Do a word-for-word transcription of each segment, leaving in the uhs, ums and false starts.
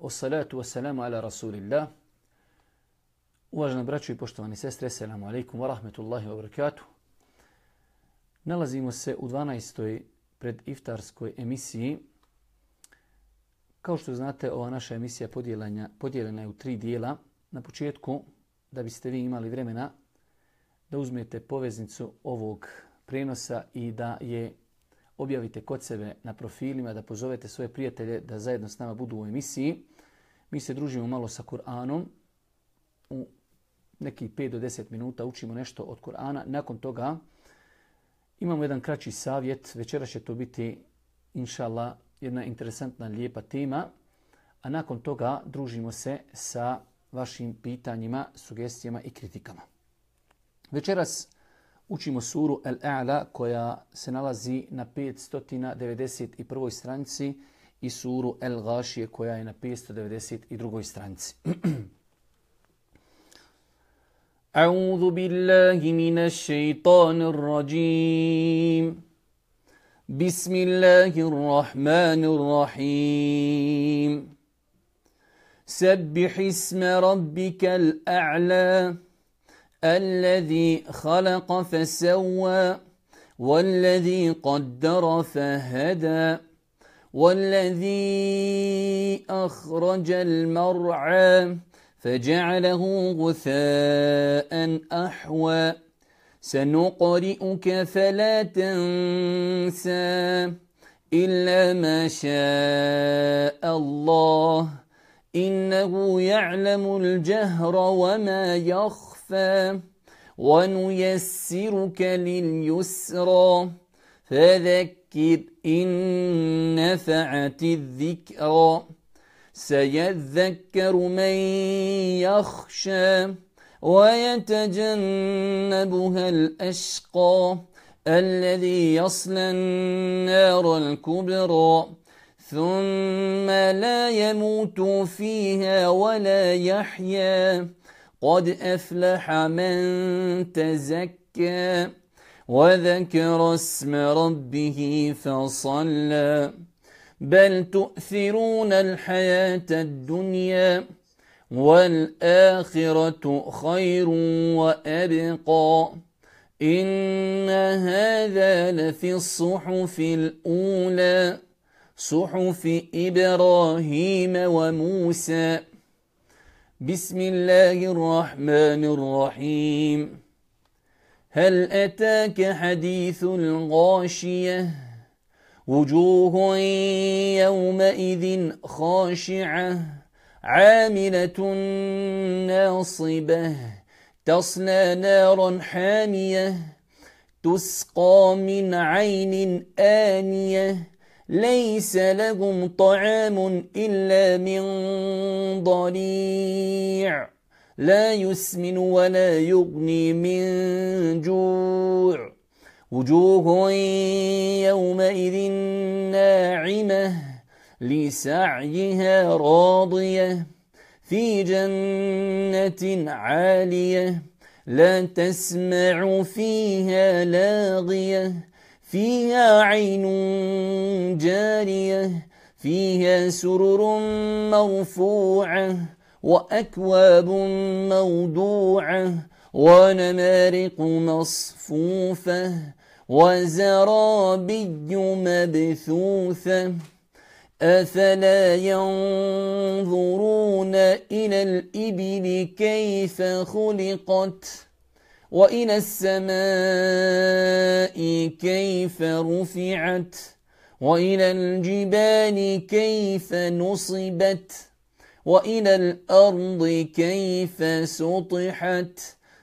Wassalatu wassalamu ala rasulillah. Uvažena braćo i poštovani sestre, assalamu alaikum wa rahmetullahi wa barakatuh. Nalazimo se u dvanaestoj prediftarskoj emisiji. Kao što znate, ova naša emisija podijeljena je u tri dijela. Na početku, da biste vi imali vremena da uzmete poveznicu ovog prenosa i da je objavite kod sebe na profilima, da pozovete svoje prijatelje da zajedno s nama budu u emisiji. Mi se družimo malo sa Kur'anom. U nekih pet do deset minuta učimo nešto od Kur'ana. Nakon toga imamo jedan kraći savjet. Večera će to biti, inša Allah, jedna interesantna, lijepa tema. A nakon toga družimo se sa vašim pitanjima, sugestijama i kritikama. Večeras učimo suru Al-A'la koja se nalazi na petsto devedeset prvoj stranici i suru Al-Gashije koja je na petsto devedeset drugoj stranici. A'udhu billahi minash shaitanir rajim. Bismillahirrahmanirrahim. Sabbih isma rabbikal a'la. الذي خلق فسوى والذي قدر فهدى والذي أخرج المرعى فجعله غثاء أحوى سنقرئك فلا تنسى إلا ما شاء الله إنه يعلم الجهر وما يخفى ونيسرك لليسرى فذكر إن نفعت الذكرى سيذكر من يخشى ويتجنبها الأشقى الذي يصلى النار الكبرى ثم لا يموت فيها ولا يحيا قد أفلح من تزكى وذكر اسم ربه فصلى بل تؤثرون الحياة الدنيا والآخرة خير وأبقى إن هذا لفي الصحف الأولى صحف إبراهيم وموسى بسم الله الرحمن الرحيم هل أتاك حديث الغاشية وجوه يومئذ خاشعة عاملة ناصبة تصلى نارا حامية تسقى من عين آنية ليس لهم طعام إلا من ضريع لا يسمن ولا يغني من جوع وجوه يومئذ ناعمة لسعيها راضية في جنة عالية لا تسمع فيها لاغية فيها عين جارية فيها سرر مرفوعة وأكواب موضوعة ونمارق مصفوفة وزرابي مبثوثة أفلا ينظرون إلى الإبل كيف خلقت وإلى السماء كيف رفعت وإلى الجبال كيف نصبت وإلى الأرض كيف سطحت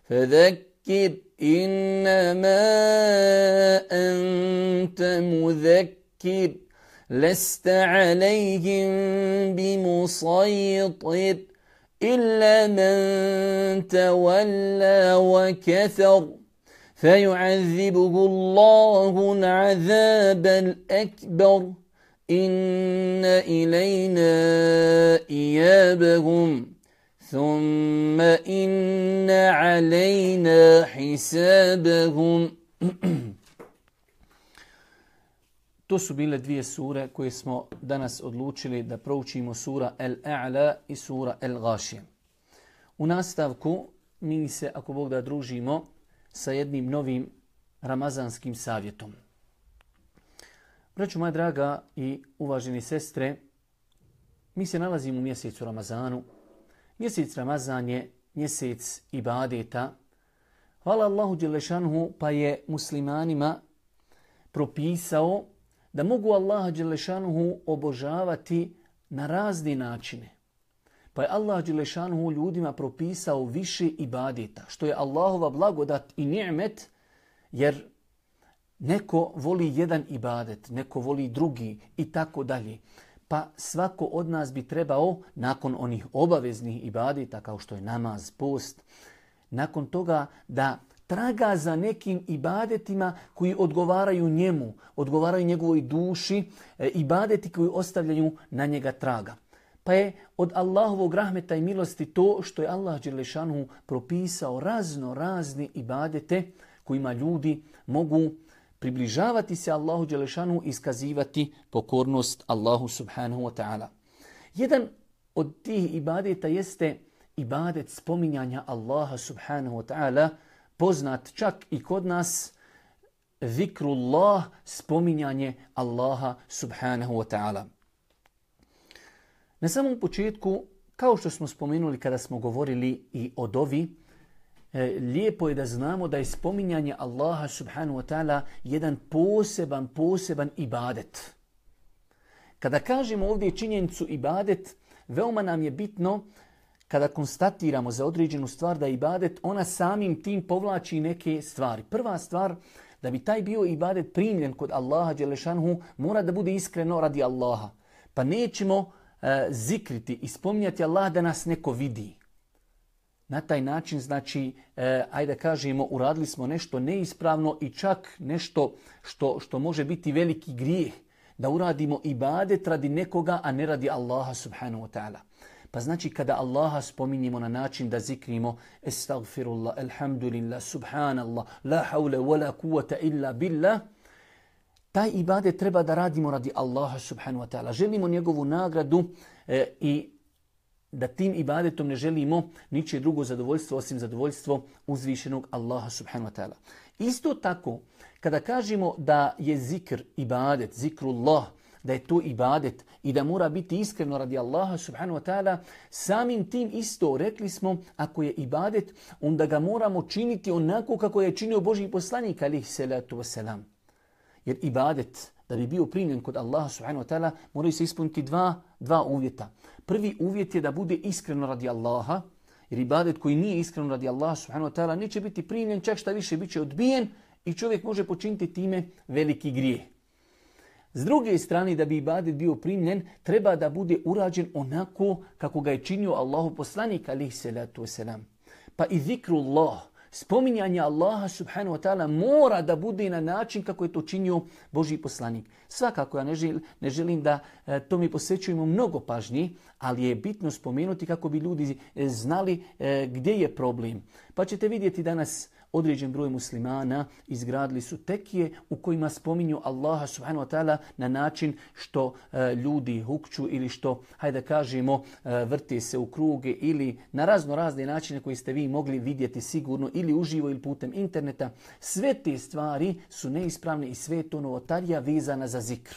فذكر إنما أنت مذكر لست عليهم بمسيطر إلا من تولى وكفر فيعذبه الله العذاب الأكبر إن إلينا إيابهم ثم إن علينا حسابهم. To su bile dvije sure koje smo danas odlučili da proučimo, sura El-A'la i sura El-Gashije. U nastavku mi se, ako Bog da, družimo sa jednim novim ramazanskim savjetom. Braćo moja draga i uvaženi sestre, mi se nalazimo u mjesecu Ramazanu. Mjesec Ramazan je mjesec ibadeta. Hvala Allahu dželešanhu, pa je muslimanima propisao da mogu Allaha dželešanhu obožavati na razne načine. Pa je Allah dželešanhu ljudima propisao više ibadeta, što je Allahova blagodat i ni'met, jer neko voli jedan ibadet, neko voli drugi i tako dalje. Pa svako od nas bi trebao, nakon onih obaveznih ibadeta kao što je namaz, post, nakon toga da traga za nekim ibadetima koji odgovaraju njemu, odgovaraju njegovoj duši, ibadeti koji ostavljaju na njega traga. Pa je od Allahovog rahmeta i milosti to što je Allah dželešanu propisao razno razne ibadete kojima ljudi mogu približavati se Allahu dželešanu i iskazivati pokornost Allahu subhanahu wa ta'ala. Jedan od tih ibadeta jeste ibadet spominjanja Allaha subhanahu wa ta'ala, poznat čak i kod nas, zikrullah, spominjanje Allaha subhanahu wa ta'ala. Na samom početku, kao što smo spomenuli kada smo govorili i o dovi, lijepo je da znamo da je spominjanje Allaha subhanahu wa ta'ala jedan poseban, poseban ibadet. Kada kažemo ovdje činjenicu ibadet, veoma nam je bitno kada konstatiramo za određenu stvar da je ibadet, ona samim tim povlači neke stvari. Prva stvar, da bi taj bio ibadet primljen kod Allaha dželešanhu, mora da bude iskreno radi Allaha. Pa nećemo uh, zikriti i spominjati Allah da nas neko vidi. Na taj način, znači, e, ajde kažemo, uradili smo nešto neispravno i čak nešto što, što može biti veliki grijeh. Da uradimo ibadet radi nekoga, a ne radi Allaha subhanahu wa ta'ala. Pa znači kada Allaha spominjemo na način da zikrimo estagfirullah, alhamdulillah, subhanallah, la hawla wa la kuvvata illa billah, taj ibadet treba da radimo radi Allaha subhanahu wa ta'ala. Želimo njegovu nagradu e, i da tim ibadetom ne želimo ničije drugo zadovoljstvo osim zadovoljstvo uzvišenog Allaha subhanahu wa ta'ala. Isto tako, kada kažemo da je zikr ibadet, zikrullah, da je to ibadet i da mora biti iskreno radi Allaha subhanahu wa ta'ala, samim tim isto rekli smo, ako je ibadet, onda ga moramo činiti onako kako je činio Božji poslanik alejhi salatu vesselam. Jer ibadet, da bi bio primljen kod Allaha subhanahu wa ta'ala, moraju se ispuniti dva, dva uvjeta. Prvi uvjet je da bude iskreno radi Allaha, jer ibadet koji nije iskreno radi Allaha subhanahu wa ta'ala neće biti primljen, čak šta više bit će odbijen i čovjek može počiniti time veliki grijeh. S druge strane, da bi ibadet bio primljen, treba da bude urađen onako kako ga je činio Allahu poslanik alejhi salatu vesselam. Pa i zikrullah, spominjanje Allaha subhanahu wa ta'ala mora da bude na način kako je to činio Božji poslanik. Svakako ja ne želim, ne želim da e, to mi posvećujemo mnogo pažnji, ali je bitno spomenuti kako bi ljudi znali e, gdje je problem. Pa ćete vidjeti danas određen broj muslimana izgradili su tekije u kojima spominju Allaha subhanahu wa ta'ala na način što e, ljudi hukću ili što, hajde kažemo, e, vrte se u kruge ili na razno razne načine koji ste vi mogli vidjeti sigurno ili uživo ili putem interneta. Sve te stvari su neispravne i sve to novotarija vezana za zikr.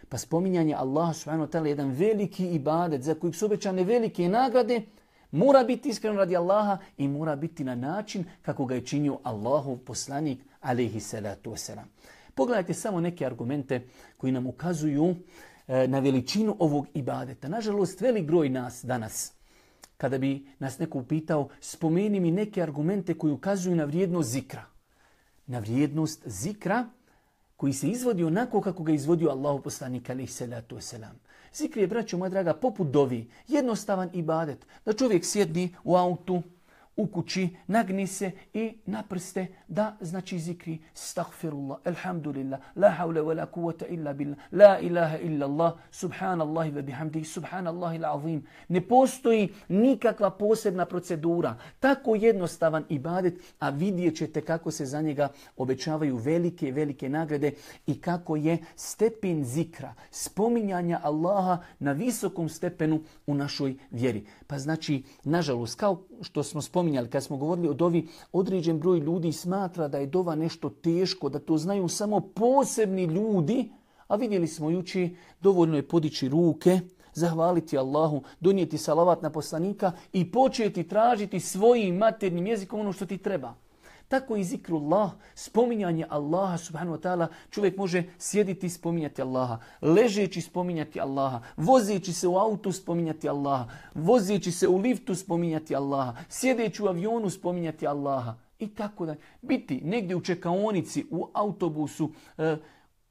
Pa spominjanje Allaha subhanahu wa ta'ala je jedan veliki ibadet za kojeg su obećane velike nagrade, mora biti iskreno radi Allaha i mora biti na način kako ga je činio Allahov poslanik alejhi salatu vesselam. Pogledajte samo neke argumente koji nam ukazuju e, na veličinu ovog ibadeta. Nažalost, velik broj nas danas, kada bi nas neko upitao, spomeni mi neke argumente koji ukazuju na vrijednost zikra. Na vrijednost zikra koji se izvodi onako kako ga izvodio Allahov poslanik alejhi salatu vesselam. Zikr je, braćo moja draga, poput dovi, jednostavan ibadet. Da čovjek sjedni u autu, u kući, nagni se i na prste da znači zikri astaghfirullah, alhamdulillah, la hawla wa la quwwata illa billah, la ilaha illa Allah, subhanallahi wa bihamdihi, subhanallahi al-azim. Ne postoji nikakva posebna procedura. Tako jednostavan ibadet, a vidjet ćete kako se za njega obećavaju velike, velike nagrade i kako je stepen zikra, spominjanja Allaha na visokom stepenu u našoj vjeri. Pa znači, nažalost, kao što smo spominjali, kad smo govorili o dovi, određen broj ljudi smatra da je dova nešto teško, da to znaju samo posebni ljudi, a vidjeli smo juči, dovoljno je podići ruke, zahvaliti Allahu, donijeti salavat na poslanika i početi tražiti svojim maternjim jezikom ono što ti treba. Tako i zikrullah, spominjanje Allaha subhanahu wa ta'ala, čovjek može sjediti i spominjati Allaha, ležeći spominjati Allaha, vozeći se u autu spominjati Allaha, vozeći se u liftu spominjati Allaha, sjedeći u avionu spominjati Allaha i tako da. Biti negdje u čekaonici, u autobusu, eh,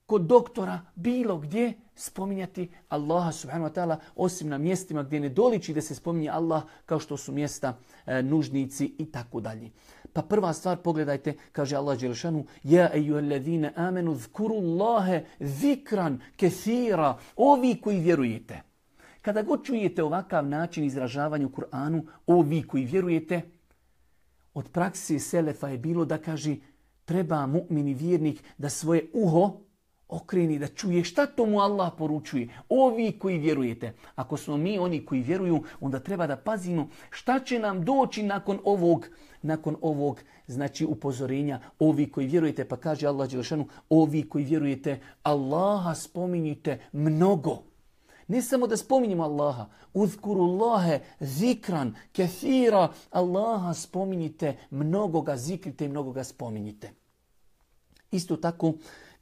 kod doktora, bilo gdje spominjati Allaha subhanahu wa ta'ala, osim na mjestima gdje ne doliči da se spominje Allah, kao što su mjesta e, nužnici i tako dalje. Pa prva stvar, pogledajte, kaže Allah dželešanu, ja ejuhellezine amenu zkurullahe zikran kethira, ovi koji vjerujete. Kada god čujete ovakav način izražavanja u Kur'anu, ovi koji vjerujete, od praksi selefa je bilo da kaže treba mu'min i vjernik da svoje uho okreni, da čuje šta to mu Allah poručuje. Ovi koji vjerujete. Ako smo mi oni koji vjeruju, onda treba da pazimo šta će nam doći nakon ovog, nakon ovog znači upozorenja. Ovi koji vjerujete, pa kaže Allah dželešanu, ovi koji vjerujete, Allaha spominjite mnogo. Ne samo da spominjemo Allaha, uzkurullahe zikran kethira, Allaha spominjite, mnogo ga zikrite i mnogo ga spominjite. Isto tako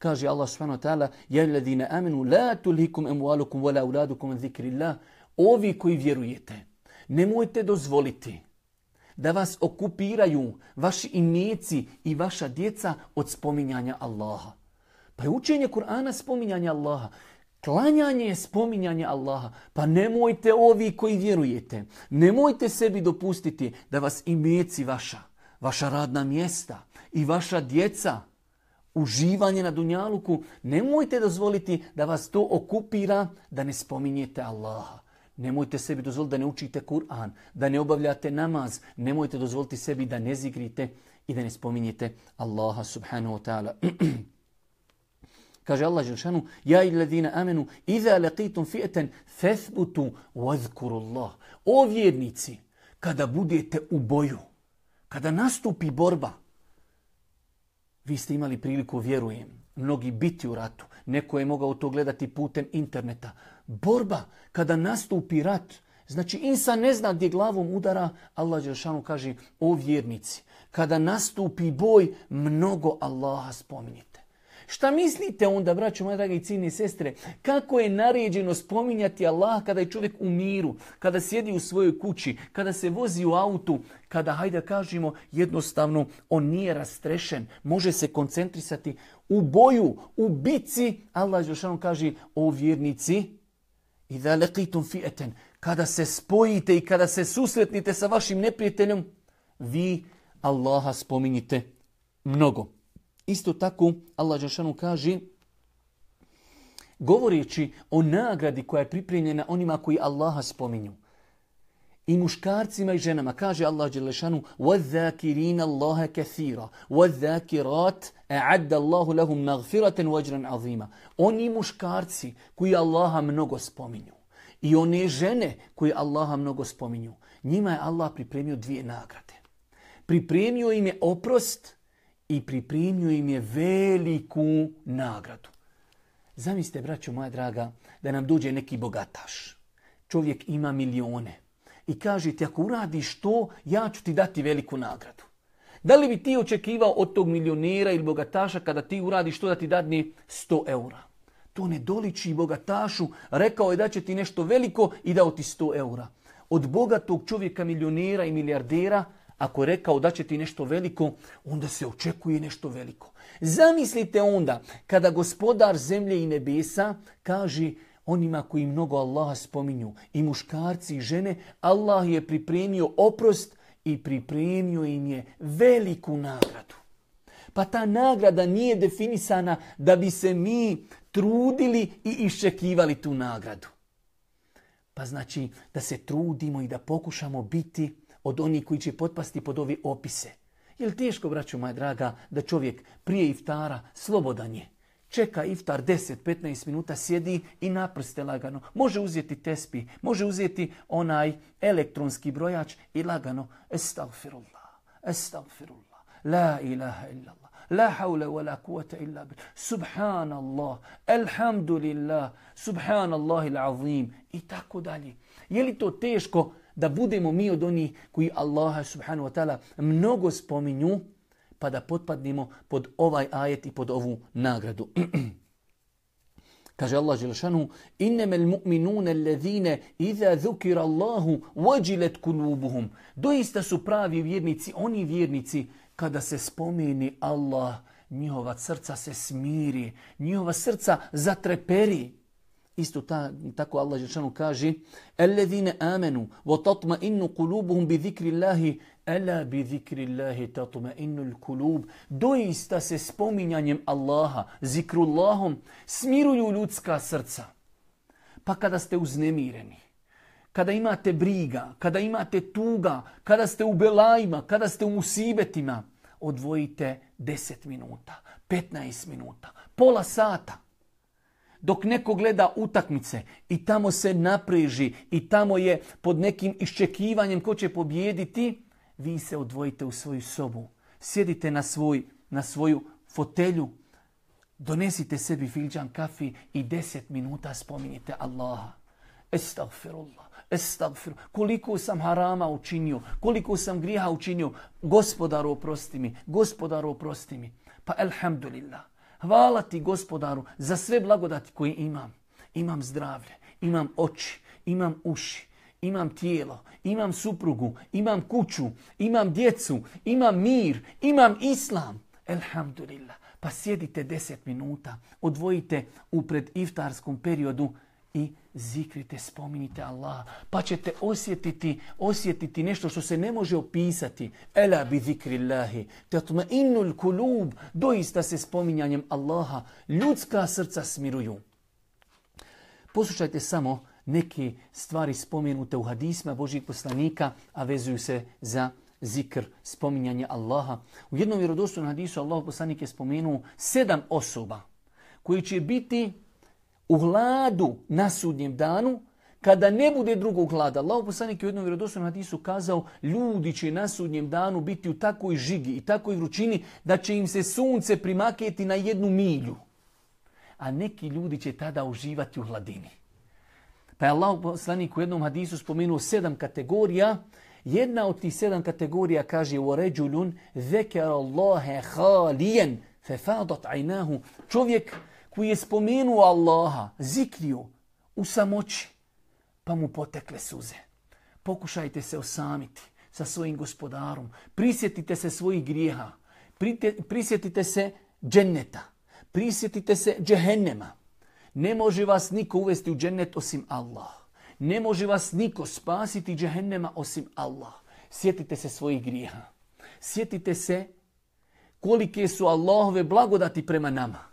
kaže Allah subhanahu wa ta'ala, ja alladhina amanu la tulhikum amwalukum wala auladukum an zikrillah. Ovi koji vjerujete, nemojte dozvoliti da vas okupiraju vaši imeci i vaša djeca od spominjanja Allaha. Pa je učenje Kur'ana spominjanje Allaha. Klanjanje je spominjanje Allaha. Pa nemojte ovi koji vjerujete, nemojte sebi dopustiti da vas imeci vaša, vaša radna mjesta i vaša djeca, uživanje na dunjaluku, nemojte dozvoliti da vas to okupira da ne spominjete Allaha. Nemojte sebi dozvoliti da ne učite Kur'an, da ne obavljate namaz. Nemojte dozvoliti sebi da ne zikrite i da ne spominjete Allaha subhanahu wa ta'ala. Kaže Allah dželešanu, ja illadina amenu, iza laqitum fi'atan fathbutu wazkurullah. O vjernici, kada budete u boju, kada nastupi borba, vi ste imali priliku, vjerujem, mnogi biti u ratu. Neko je mogao to gledati putem interneta. Borba, kada nastupi rat, znači insan ne zna gdje glavom udara, Allah dželešanu kaže, o vjernici, kada nastupi boj, mnogo Allaha spominjite. Šta mislite onda, braćo moje drage i ciljne sestre, kako je naređeno spominjati Allah kada je čovjek u miru, kada sjedi u svojoj kući, kada se vozi u autu, kada, hajde kažemo, jednostavno on nije rastrešen, može se koncentrisati u boju, u bici. Allah dželešanu kaže, o vjernici, idha laqitum fi'atan, kada se spojite i kada se susretnite sa vašim neprijateljom, vi Allaha spominjite mnogo. Isto tako Allah dželešanu kaže, govoreći o nagradi koja je pripremljena onima koji Allaha spominju, i muškarcima i ženama, kaže Allah dželešanu, وَذَّاكِرِينَ اللَّهَ كَثِيرًا وَذَّاكِرَاتِ أَعَدَّ اللَّهُ لَهُمْ مَغْفِرَةً وَأَجْرًا عَظِيمًا. Oni muškarci koji Allaha mnogo spominju i one žene koji Allaha mnogo spominju, njima je Allah pripremio dvije nagrade. Pripremio im je oprost i pripremio im je veliku nagradu. Zamislite, braćo moja draga, da nam dođe neki bogataš. Čovjek ima milione i kaže ti, ako uradiš to, ja ću ti dati veliku nagradu. Da li bi ti očekivao od tog milionera ili bogataša kada ti uradiš to da ti dadne sto eura? To ne doliči bogatašu, rekao je da će ti nešto veliko i dao ti sto eura. Od bogatog čovjeka, milionera i milijardera, ako je rekao da će ti nešto veliko, onda se očekuje nešto veliko. Zamislite onda kada gospodar zemlje i nebesa kaže onima koji mnogo Allaha spominju, i muškarci i žene, Allah je pripremio oprost i pripremio im je veliku nagradu. Pa ta nagrada nije definisana da bi se mi trudili i iščekivali tu nagradu. Pa znači da se trudimo i da pokušamo biti od onih koji će potpasti pod ove opise. Je li teško, braćo moja draga, da čovjek prije iftara slobodan je? Čeka iftar deset do petnaest minuta, sjedi i naprste lagano. Može uzeti tespi, može uzeti onaj elektronski brojač i lagano estagfirullah, estagfirullah, la ilaha illallah, la hawla wa la kuvata illa billah, subhanallah, alhamdulillah, subhanallah il-azim i tako dalje. Je li to teško da budemo mi od onih koji Allaha subhanahu wa ta'ala mnogo spominju, pa da potpadnemo pod ovaj ajet i pod ovu nagradu? Kaže Allah dželešanu: "Innamal mu'minuna alladhina idha dhukira Allahu wajilat kulubuhum." Doista su pravi vjernici oni vjernici kada se spomeni Allah, njihova srca se smiri, njihova srca zatreperi. Isto ta, tako Allah dželešanu kaže: "Alladhina amanu wa tatma'innu qulubuhum bi dhikrillahi ala bi dhikrillahi tatma'innul qulub." Doista se spominjanjem Allaha, zikrullahom, smiruju ljudska srca. Pa kada ste uznemireni, kada imate briga, kada imate tuga, kada ste u belajima, kada ste u musibetima, odvojite deset minuta, petnaest minuta, pola sata. Dok neko gleda utakmice i tamo se napreži i tamo je pod nekim iščekivanjem ko će pobijediti, vi se odvojite u svoju sobu. Sjedite na, svoj, na svoju fotelju, donesite sebi filđan kafi i deset minuta spominjite Allaha. Estagfirullah, estagfirullah. Koliko sam harama učinio, koliko sam grijeha učinio. Gospodaru, oprosti mi, gospodaru, oprosti mi. Pa alhamdulillah. Hvala ti, gospodaru, za sve blagodati koje imam. Imam zdravlje, imam oči, imam uši, imam tijelo, imam suprugu, imam kuću, imam djecu, imam mir, imam islam. Elhamdulillah. Pa sjedite deset minuta, odvojite u prediftarskom periodu i zikrite, spominjite Allaha. Pa ćete osjetiti, osjetiti nešto što se ne može opisati. Ela bi zikrillahi tatma'innul kulub. Doista se spominjanjem Allaha ljudska srca smiruju. Poslušajte samo neke stvari spomenute u hadisma Božjih poslanika, a vezuju se za zikr, spominjanje Allaha. U jednom vjerodostojnom hadisu Allahov poslanik je spomenuo sedam osoba koji će biti u hladu na sudnjem danu, kada ne bude drugog hlada. Allahov poslanik je u jednom vjerodostojnom hadisu kazao: ljudi će na sudnjem danu biti u takvoj žigi i takvoj vrućini da će im se sunce primaketi na jednu milju. A neki ljudi će tada uživati u hladini. Pa je Allahov poslanik u jednom hadisu spomenuo sedam kategorija. Jedna od tih sedam kategorija kaže: وَرَجُلٌ ذَكَرَ اللَّهَ خَالِيًا فَفَاضَتْ عَيْنَاهُ. Čovjek koji je spomenuo Allaha, zikrio u samoći, pa mu potekle suze. Pokušajte se osamiti sa svojim gospodarom. Prisjetite se svojih grijeha. Prisjetite se dženneta. Prisjetite se džehennema. Ne može vas niko uvesti u džennet osim Allah. Ne može vas niko spasiti džehennema osim Allah. Sjetite se svojih grijeha. Sjetite se kolike su Allahove blagodati prema nama.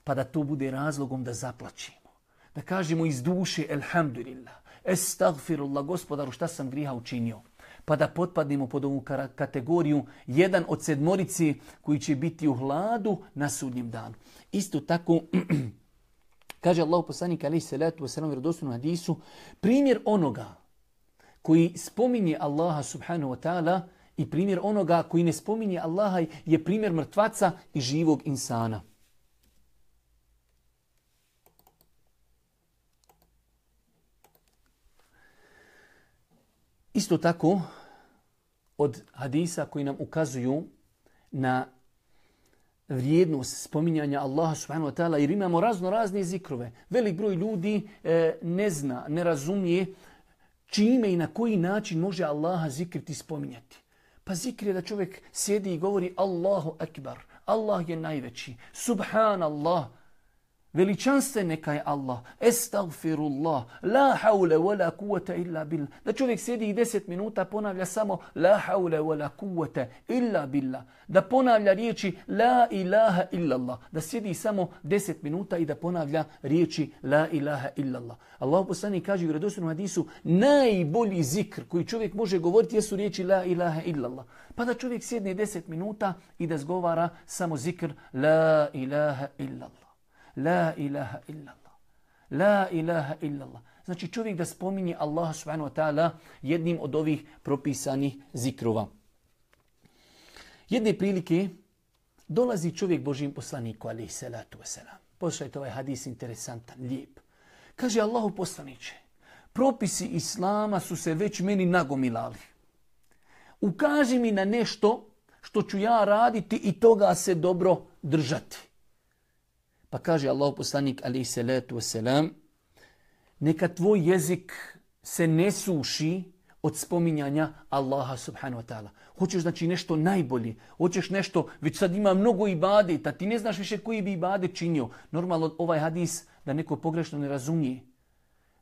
Pa da to bude razlogom da zaplačimo. Da kažemo iz duše: elhamdulillah, estagfirullah, gospodaru, šta sam grijeha učinio. Pa da potpadnemo pod ovu kategoriju, jedan od sedmorici koji će biti u hladu na sudnjem danu. Isto tako, kaže Allahu poslanik alejhi salatu vesselam u vjerodostojnom hadisu, primjer onoga koji spominje Allaha subhanahu wa ta'ala i primjer onoga koji ne spominje Allaha je primjer mrtvaca i živog insana. Isto tako, od hadisa koji nam ukazuju na vrijednost spominjanja Allaha subhanahu wa ta'ala, jer imamo razno razne zikrove. Velik broj ljudi e, ne zna, ne razumije čime i na koji način može Allaha zikriti, spominjati. Pa zikr je da čovjek sjedi i govori Allahu akbar, Allah je najveći, subhanallah, Veličanstven neka je Allah. Estagfirullah. La haule wa la kuvvete illa billah. Da čovjek sjedi i deset minuta ponavlja samo la haule wa la kuvvete illa billah. Da ponavlja riječi la ilaha illallah. Da sjedi samo deset minuta i da ponavlja riječi la ilaha illallah. Allah poslanik kaže u vjerodostojnom hadisu najbolji zikr koji čovjek može govoriti jesu riječi la ilaha illallah. Pa da čovjek sjedne deset minuta i da zgovara samo zikr la ilaha illallah. La ilaha illallah. La ilaha illallah. Znači čovjek da spominje Allaha subhanahu wa ta'ala jednim od ovih propisanih zikrova. Jedne prilike dolazi čovjek Božjem poslaniku alejhi salatu vesselam. Poslušajte ovaj hadis interesantan, lijep. Kaže Allahu poslaniče, propisi Islama su se već meni nagomilali. Ukaži mi na nešto što ću ja raditi i toga se dobro držati. Pa kaže Allahu poslanik alejhi salatu vesselam, neka tvoj jezik se ne suši od spominjanja Allaha subhanahu wa ta'ala. Hoćeš znači nešto najbolje, hoćeš nešto, već sad ima mnogo ibadeta, ti ne znaš više koji bi ibadet činio. Normalno ovaj hadis da neko pogrešno ne razumije.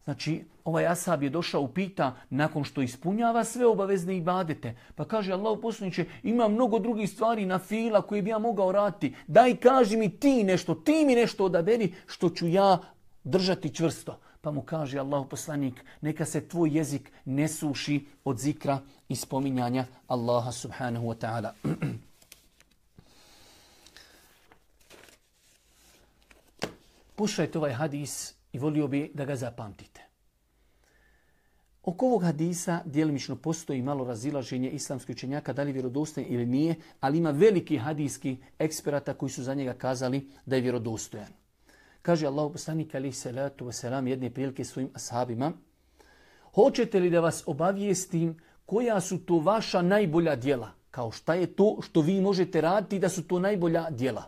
Znači ovaj ashab je došao upita nakon što ispunjava sve obavezne ibadete. Pa kaže Allahu poslaniče, ima mnogo drugih stvari na fila koje bi ja mogao raditi. Daj kaži mi ti nešto, ti mi nešto odaberi što ću ja držati čvrsto. Pa mu kaže Allahu poslanik, neka se tvoj jezik ne suši od zikra i spominjanja Allaha subhanahu wa ta'ala. Poslušajte ovaj hadis i volio bi da ga zapamtite. Oko ovog hadisa djelimično postoji malo razilaženje islamskih učenjaka, da li je vjerodostojan ili nije, ali ima veliki hadijski eksperata koji su za njega kazali da je vjerodostojan. Kaže Allahu poslanik alejhi salatu vesselam jedne prilike svojim ashabima, hoćete li da vas obavijestim koja su to vaša najbolja djela? Kao šta je to što vi možete raditi da su to najbolja djela?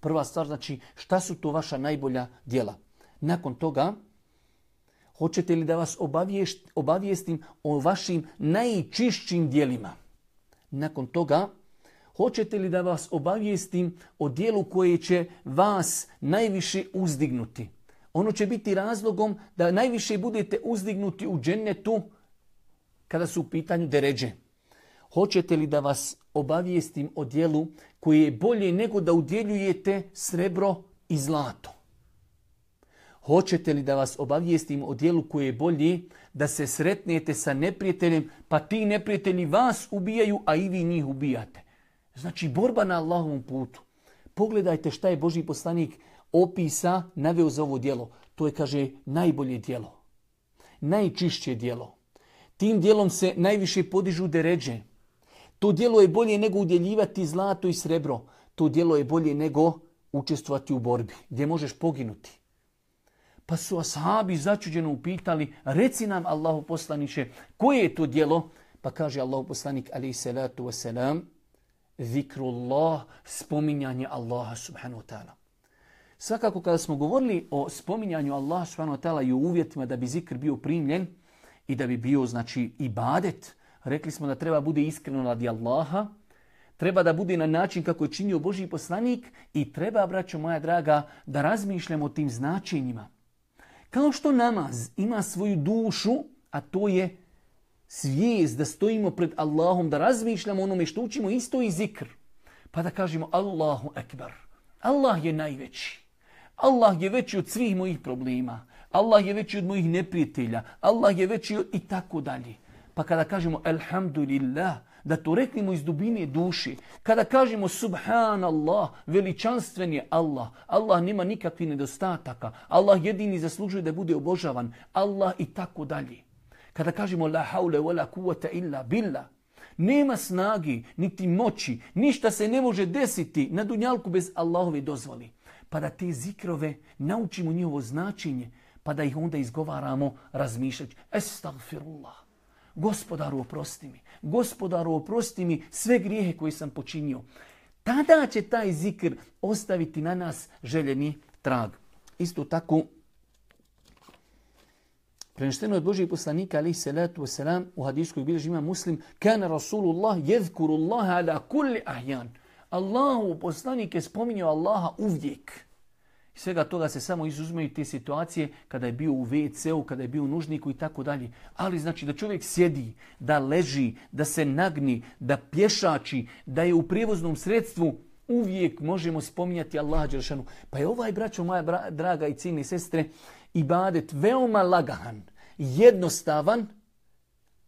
Prva stvar znači šta su to vaša najbolja djela? Nakon toga, hoćete li da vas obavijestim o vašim najčišćim djelima? Nakon toga, hoćete li da vas obavijestim o dijelu koje će vas najviše uzdignuti? Ono će biti razlogom da najviše budete uzdignuti u džennetu kada su u pitanju deređe. Hoćete li da vas obavijestim o dijelu koje je bolje nego da udjeljujete srebro i zlato? Hoćete li da vas obavijestim o dijelu koje je bolje da se sretnete sa neprijateljem, pa ti neprijatelji vas ubijaju, a i vi njih ubijate? Znači borba na Allahovom putu. Pogledajte šta je Božji poslanik opisa, naveo za ovo djelo. To je, kaže, najbolje djelo. Najčišće djelo. Tim djelom se najviše podižu deređe. To djelo je bolje nego udjeljivati zlato i srebro. To djelo je bolje nego učestvovati u borbi, gdje možeš poginuti. Pa su ashabi začuđeno upitali, reci nam Allahu poslaniče, koje je to djelo? Pa kaže Allahu poslanik alejhi salatu vesselam, zikrullah, spominjanje Allaha subhanahu wa ta'ala. Svakako kada smo govorili o spominjanju Allaha subhanahu wa ta'ala i o uvjetima da bi zikr bio primljen i da bi bio znači ibadet, rekli smo da treba bude iskreno radi Allaha, treba da bude na način kako je činio Božji poslanik i treba, braćo moja draga, da razmišljamo o tim značenjima. Kao što namaz ima svoju dušu, a to je svijest da stojimo pred Allahom, da razmišljamo onome što učimo, isto i zikr. Pa da kažemo Allahu ekber. Allah je najveći. Allah je veći od svih mojih problema. Allah je veći od mojih neprijatelja. Allah je veći od i tako dalje. Pa kada kažemo alhamdulillah, da to reknemo iz dubine duši. Kada kažemo subhanallah, veličanstven je Allah. Allah nema nikakvih nedostataka. Allah jedini zaslužuje da bude obožavan. Allah i tako dalje. Kada kažemo la haule wa la kuvvete illa billah, nema snagi, niti moći, ništa se ne može desiti na dunjalku bez Allahove dozvoli. Pa da te zikrove naučimo njihovo značenje, pa da ih onda izgovaramo razmišljajući. Estagfirullah. Gospodaru oprosti mi. Gospodaru oprosti mi sve grijehe koje sam počinio. Tada će taj zikr ostaviti na nas željeni trag. Isto tako, prenešteno od Božijeg poslanika alejhi salatu vesselam u hadisu koji bilježi ima Muslim, kana Rasulullah yezkurullaha ala kulli ahyan. Allahu poslanik je spominjao Allaha uvijek. Svega toga se samo izuzmeju te situacije kada je bio u ve ce u, kada je bio u nužniku i tako dalje. Ali znači da čovjek sjedi, da leži, da se nagni, da pješači, da je u prijevoznom sredstvu, uvijek možemo spominjati Allaha dželešanu. Pa je ovaj, braćo moja bra, draga i ciljne sestre, ibadet veoma lagahan, jednostavan,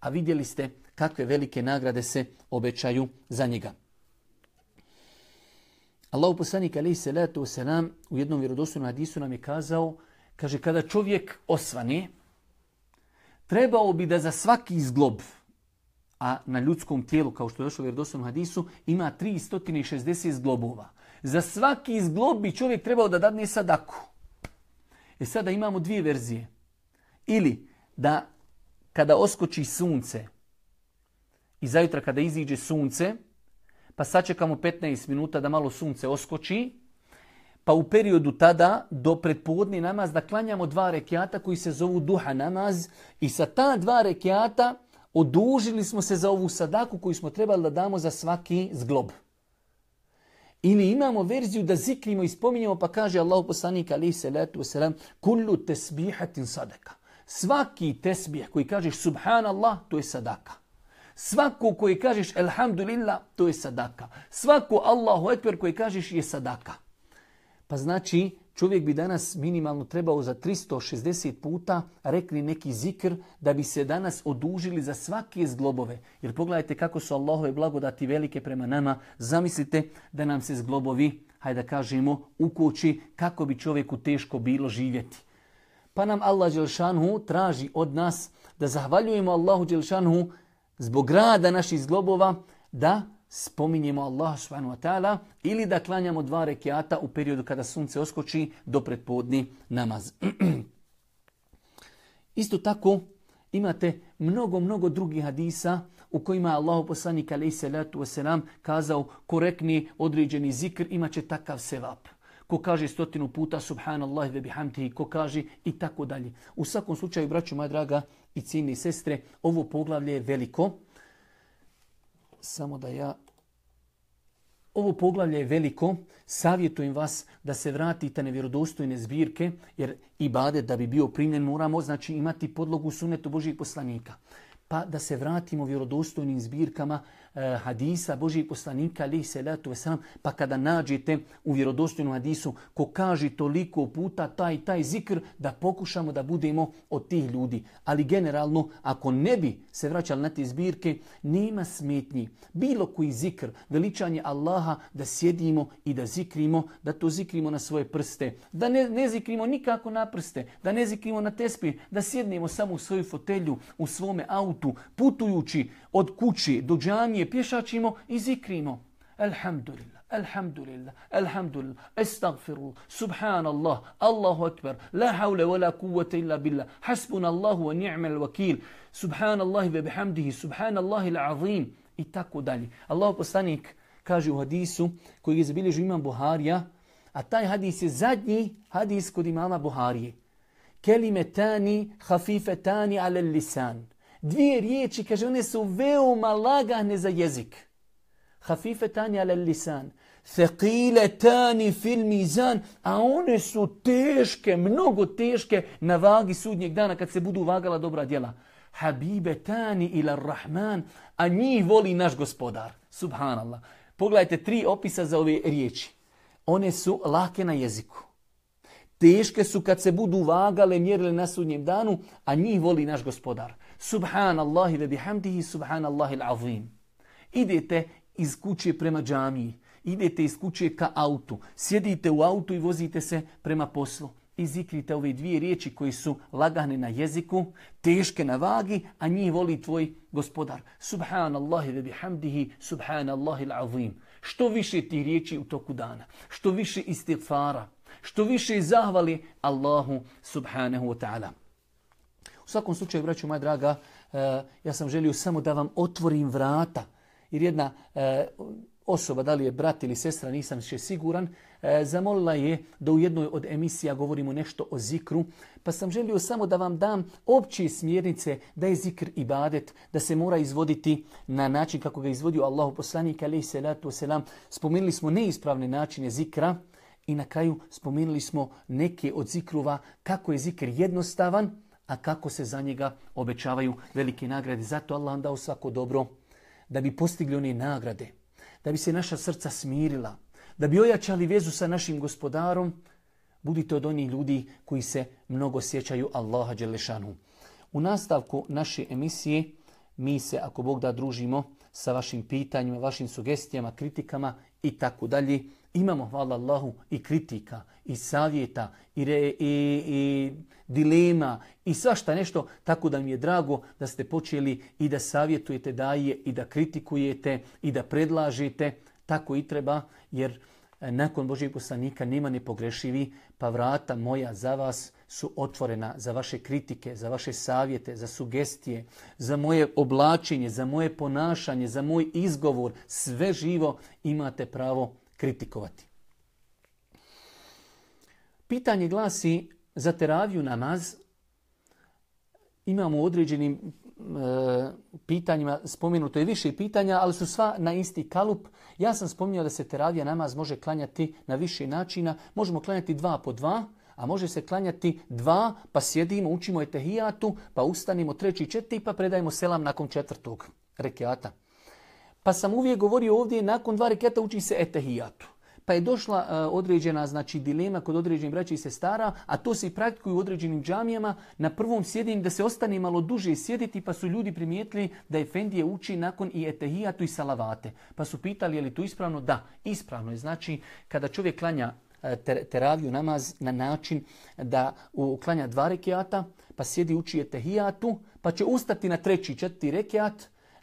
a vidjeli ste kakve velike nagrade se obećaju za njega. Allahu poslanik alejhi selatu selam u jednom vjerodostojnom hadisu nam je kazao, kaže, kada čovjek osvane, trebao bi da za svaki zglob, a na ljudskom tijelu, kao što je došlo u vjerodostojnom hadisu, ima tristo šezdeset zglobova. Za svaki zglob bi čovjek trebao da dadne sadaku. E sada imamo dvije verzije. Ili da kada oskoči sunce i zajutra kada iziđe sunce, pa sačekamo petnaest minuta da malo sunce oskoči, pa u periodu tada do predpodne namaz da klanjamo dva rekiata koji se zovu duha namaz i sa ta dva rekiata odužili smo se za ovu sadaku koju smo trebali da damo za svaki zglob. Ili imamo verziju da zikrimo i spominjamo, pa kaže Allahu poslanik alejhi selatu vesselam, kullu tasbihatin sadaka. Svaki tesbih koji kažeš subhanallah, to je sadaka. Svako koji kažeš elhamdulillah, to je sadaka. Svako Allahu ekber koji kažeš je sadaka. Pa znači čovjek bi danas minimalno trebao za tristo šezdeset puta rekli neki zikr da bi se danas odužili za svake zglobove. Jer pogledajte kako su Allahove blagodati velike prema nama. Zamislite da nam se zglobovi, hajde da kažemo, ukoči, kako bi čovjeku teško bilo živjeti. Pa nam Allah dželešanu traži od nas da zahvaljujemo Allahu dželešanu zbog rada naših zglobova, da spominjemo Allaha subhanahu wa ta'ala ili da klanjamo dva rekiata u periodu kada sunce oskoči do predpodni namaz. Isto tako imate mnogo, mnogo drugih hadisa u kojima je Allahu poslanik alejhi selatu vesselam kazao ko rekne određeni zikr imat će takav sevap. Ko kaže stotinu puta subhanallah ve bihamdihi, ko kaže i tako dalje. U svakom slučaju, braćo moja draga i cijenine sestre, ovo poglavlje je veliko. Samo da ja... Ovo poglavlje je veliko. Savjetujem vas da se vratite na vjerodostojne zbirke, jer ibadet da bi bio primljen moramo znači imati podlogu sunnetu Božijeg poslanika. Pa da se vratimo vjerodostojnim zbirkama eh, hadisa Božijeg poslanika alejhi selatu vesselam, pa kada nađete u vjerodostojnom hadisu ko kaže toliko puta taj taj zikr, da pokušamo da budemo od tih ljudi. Ali generalno, ako ne bi se vraćali na te zbirke, nema smetnji. Bilo koji zikr, veličanje Allaha, da sjedimo i da zikrimo, da to zikrimo na svoje prste. Da ne, ne zikrimo nikako na prste, da ne zikrimo na tespih, da sjednemo samo u svoju fotelju, u svome autu, putujući od kući do džamije, pješačimo i zikrimo. Alhamdulillah, alhamdulillah, alhamdulillah, estagfirullah, subhanallah, Allahu akbar, la hawla wa la kuvvete illa billah, hasbunallahu wa ni'mal wakil, subhanallahi ve bihamdihi, subhanallahi l'azim i tako dalje. Allahu poslanik kaže u hadisu koji je zabilježio imam Buharija, a taj hadis je zadnji hadis kod imama Buharije. Kelimetani hafifetani ala lisan. Dvije riječi, kaže, one su veoma lagane za jezik. Hafifetani ala lisan. Thaqiletani fil mizan. A one su teške, mnogo teške na vagi sudnjeg dana kad se budu vagala dobra djela. Habibetani ila rahman. A njih voli naš gospodar. Subhanallah. Pogledajte tri opisa za ove riječi. One su lake na jeziku. Teške su kad se budu vagale, mjerile na sudnjem danu, a njih voli naš gospodar. Subhanallahi ve bihamdihi, subhanallahi l'azim. Idete iz kuće prema džamiji, idete iz kuće ka autu, sjedite u autu i vozite se prema poslu. I zikrite ove dvije riječi koji su lagane na jeziku, teške na vagi, a njih voli tvoj gospodar. Subhanallahi ve bihamdihi, subhanallahi l'azim. Što više tih riječi u toku dana, što više istighfara, što više zahvali Allahu subhanahu wa ta'ala. U svakom slučaju, braćo moja draga, ja sam želio samo da vam otvorim vrata. Jer jedna osoba, da li je brat ili sestra, nisam više siguran, zamolila je da u jednoj od emisija govorimo nešto o zikru. Pa sam želio samo da vam dam opće smjernice da je zikr ibadet, da se mora izvoditi na način kako ga izvodio Allahu poslanik alejhi selatu vesselam. Spomenuli smo neispravne načine zikra I na kraju spomenuli smo neke od zikrova kako je zikr jednostavan, a kako se za njega obećavaju velike nagrade. Zato Allah nam dao svako dobro da bi postigli one nagrade, da bi se naša srca smirila, da bi ojačali vezu sa našim gospodarom. Budite od onih ljudi koji se mnogo sjećaju Allaha dželešanu. U nastavku naše emisije mi se, ako Bog da, družimo sa vašim pitanjima, vašim sugestijama, kritikama i tako dalje. Imamo, hvala Allahu, i kritika, i savjeta, i, re, i, i dilema, i svašta nešto, tako da mi je drago da ste počeli i da savjetujete daje, i da kritikujete, i da predlažete. Tako i treba, jer nakon Božijeg poslanika nema nepogrešivi, pa vrata moja za vas su otvorena za vaše kritike, za vaše savjete, za sugestije, za moje oblačenje, za moje ponašanje, za moj izgovor. Sve živo imate pravo kritikovati. Pitanje glasi za teraviju namaz. Imamo u određenim e, pitanjima, spomenuto je više pitanja, ali su sva na isti kalup. Ja sam spominjao da se teravija namaz može klanjati na više načina. Možemo klanjati dva po dva, a može se klanjati dva, pa sjedimo, učimo etehijatu, pa ustanimo treći, četiri, pa predajemo selam nakon četvrtog rekiata. Pa sam uvijek govorio ovdje, nakon dva rekiata uči se etehijatu. Pa je došla uh, određena znači, dilema kod određenih braća i sestara, a to se i praktikuju u određenim džamijama. Na prvom sjedinju da se ostane malo duže sjediti, pa su ljudi primijetili da efendije uči nakon i etehijatu i salavate. Pa su pitali je li to ispravno? Da, ispravno je. Znači, kada čovjek klanja ter, teraviju namaz na način da klanja dva rekiata, pa sjedi uči etehijatu, pa će ustati na treći, četvrti rekiat.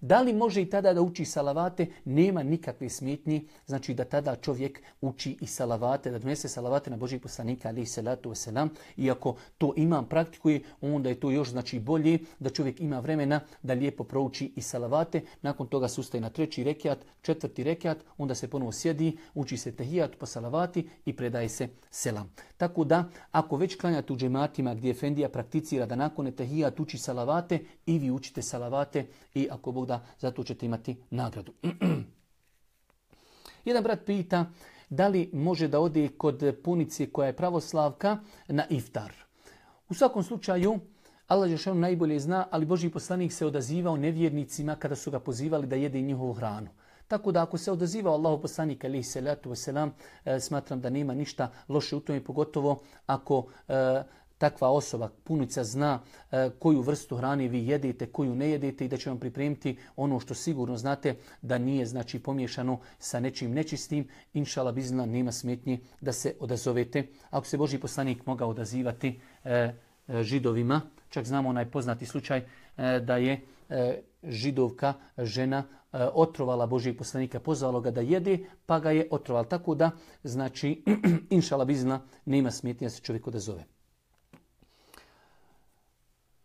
Da li može i tada da uči salavate? Nema nikakve smetnje. Znači da tada čovjek uči i salavate, da donese salavate na Božijeg poslanika alejhi salatu vesselam. Iako to imam praktikuje, onda je to još znači bolje da čovjek ima vremena da lijepo prouči i salavate. Nakon toga se ustaje na treći rekiat, četvrti rekiat, onda se ponovo sjedi, uči se tehijat po salavati i predaje se selam. Tako da, ako već klanjate u džematima gdje efendija prakticira da nakon tehijat uči salavate, i vi učite salavate i ako Bog da, zato ćete imati nagradu. Jedan brat pita da li može da ode kod punice koja je pravoslavka na iftar. U svakom slučaju, Allah dželle šanuhu najbolje zna, ali Božji poslanik se odazivao nevjernicima kada su ga pozivali da jede njihovu hranu. Tako da ako se odazivao Allahov poslanik alejhi salatu vesselam, smatram da nema ništa loše u tome, pogotovo ako e, takva osoba, punica, zna e, koju vrstu hrane vi jedete, koju ne jedete i da će vam pripremiti ono što sigurno znate da nije znači pomiješano sa nečim nečistim. Inšala bizna, nema smetnje da se odazovete. Ako se Božji poslanik mogao odazivati e, e, židovima, čak znamo onaj poznati slučaj e, da je e, židovka žena e, otrovala Božjeg poslanika, pozvalo ga da jede, pa ga je otrovala. Tako da, znači, inšala bizna, nema smetnje da se čovjek odazove.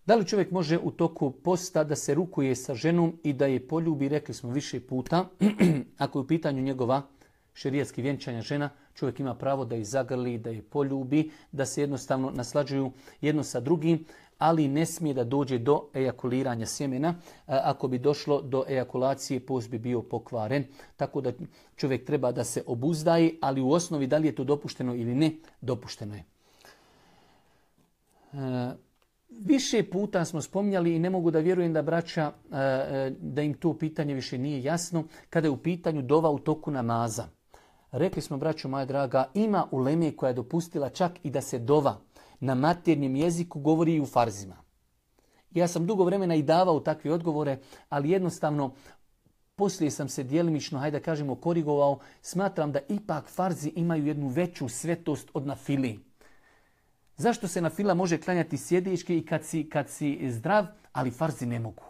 Da li čovjek može u toku posta da se rukuje sa ženom i da je poljubi? Rekli smo više puta, ako je u pitanju njegova šerijatski vjenčanja žena, čovjek ima pravo da je zagrli, da je poljubi, da se jednostavno naslađuju jedno sa drugim, ali ne smije da dođe do ejakuliranja sjemena. Ako bi došlo do ejakulacije, post bi bio pokvaren. Tako da čovjek treba da se obuzdaje, ali u osnovi da li je to dopušteno ili ne, dopušteno je. Više puta smo spominjali i ne mogu da vjerujem da braća, da im to pitanje više nije jasno, kada je u pitanju dova u toku namaza. Rekli smo, braćo moja draga, ima uleme koja je dopustila čak i da se dova na maternjem jeziku govori i u farzima. Ja sam dugo vremena i davao takve odgovore, ali jednostavno poslije sam se djelimično, hajde da kažemo, korigovao. Smatram da ipak farzi imaju jednu veću svetost od nafili. Zašto se nafila može klanjati sjedečki i kad si, kad si zdrav, ali farzi ne mogu?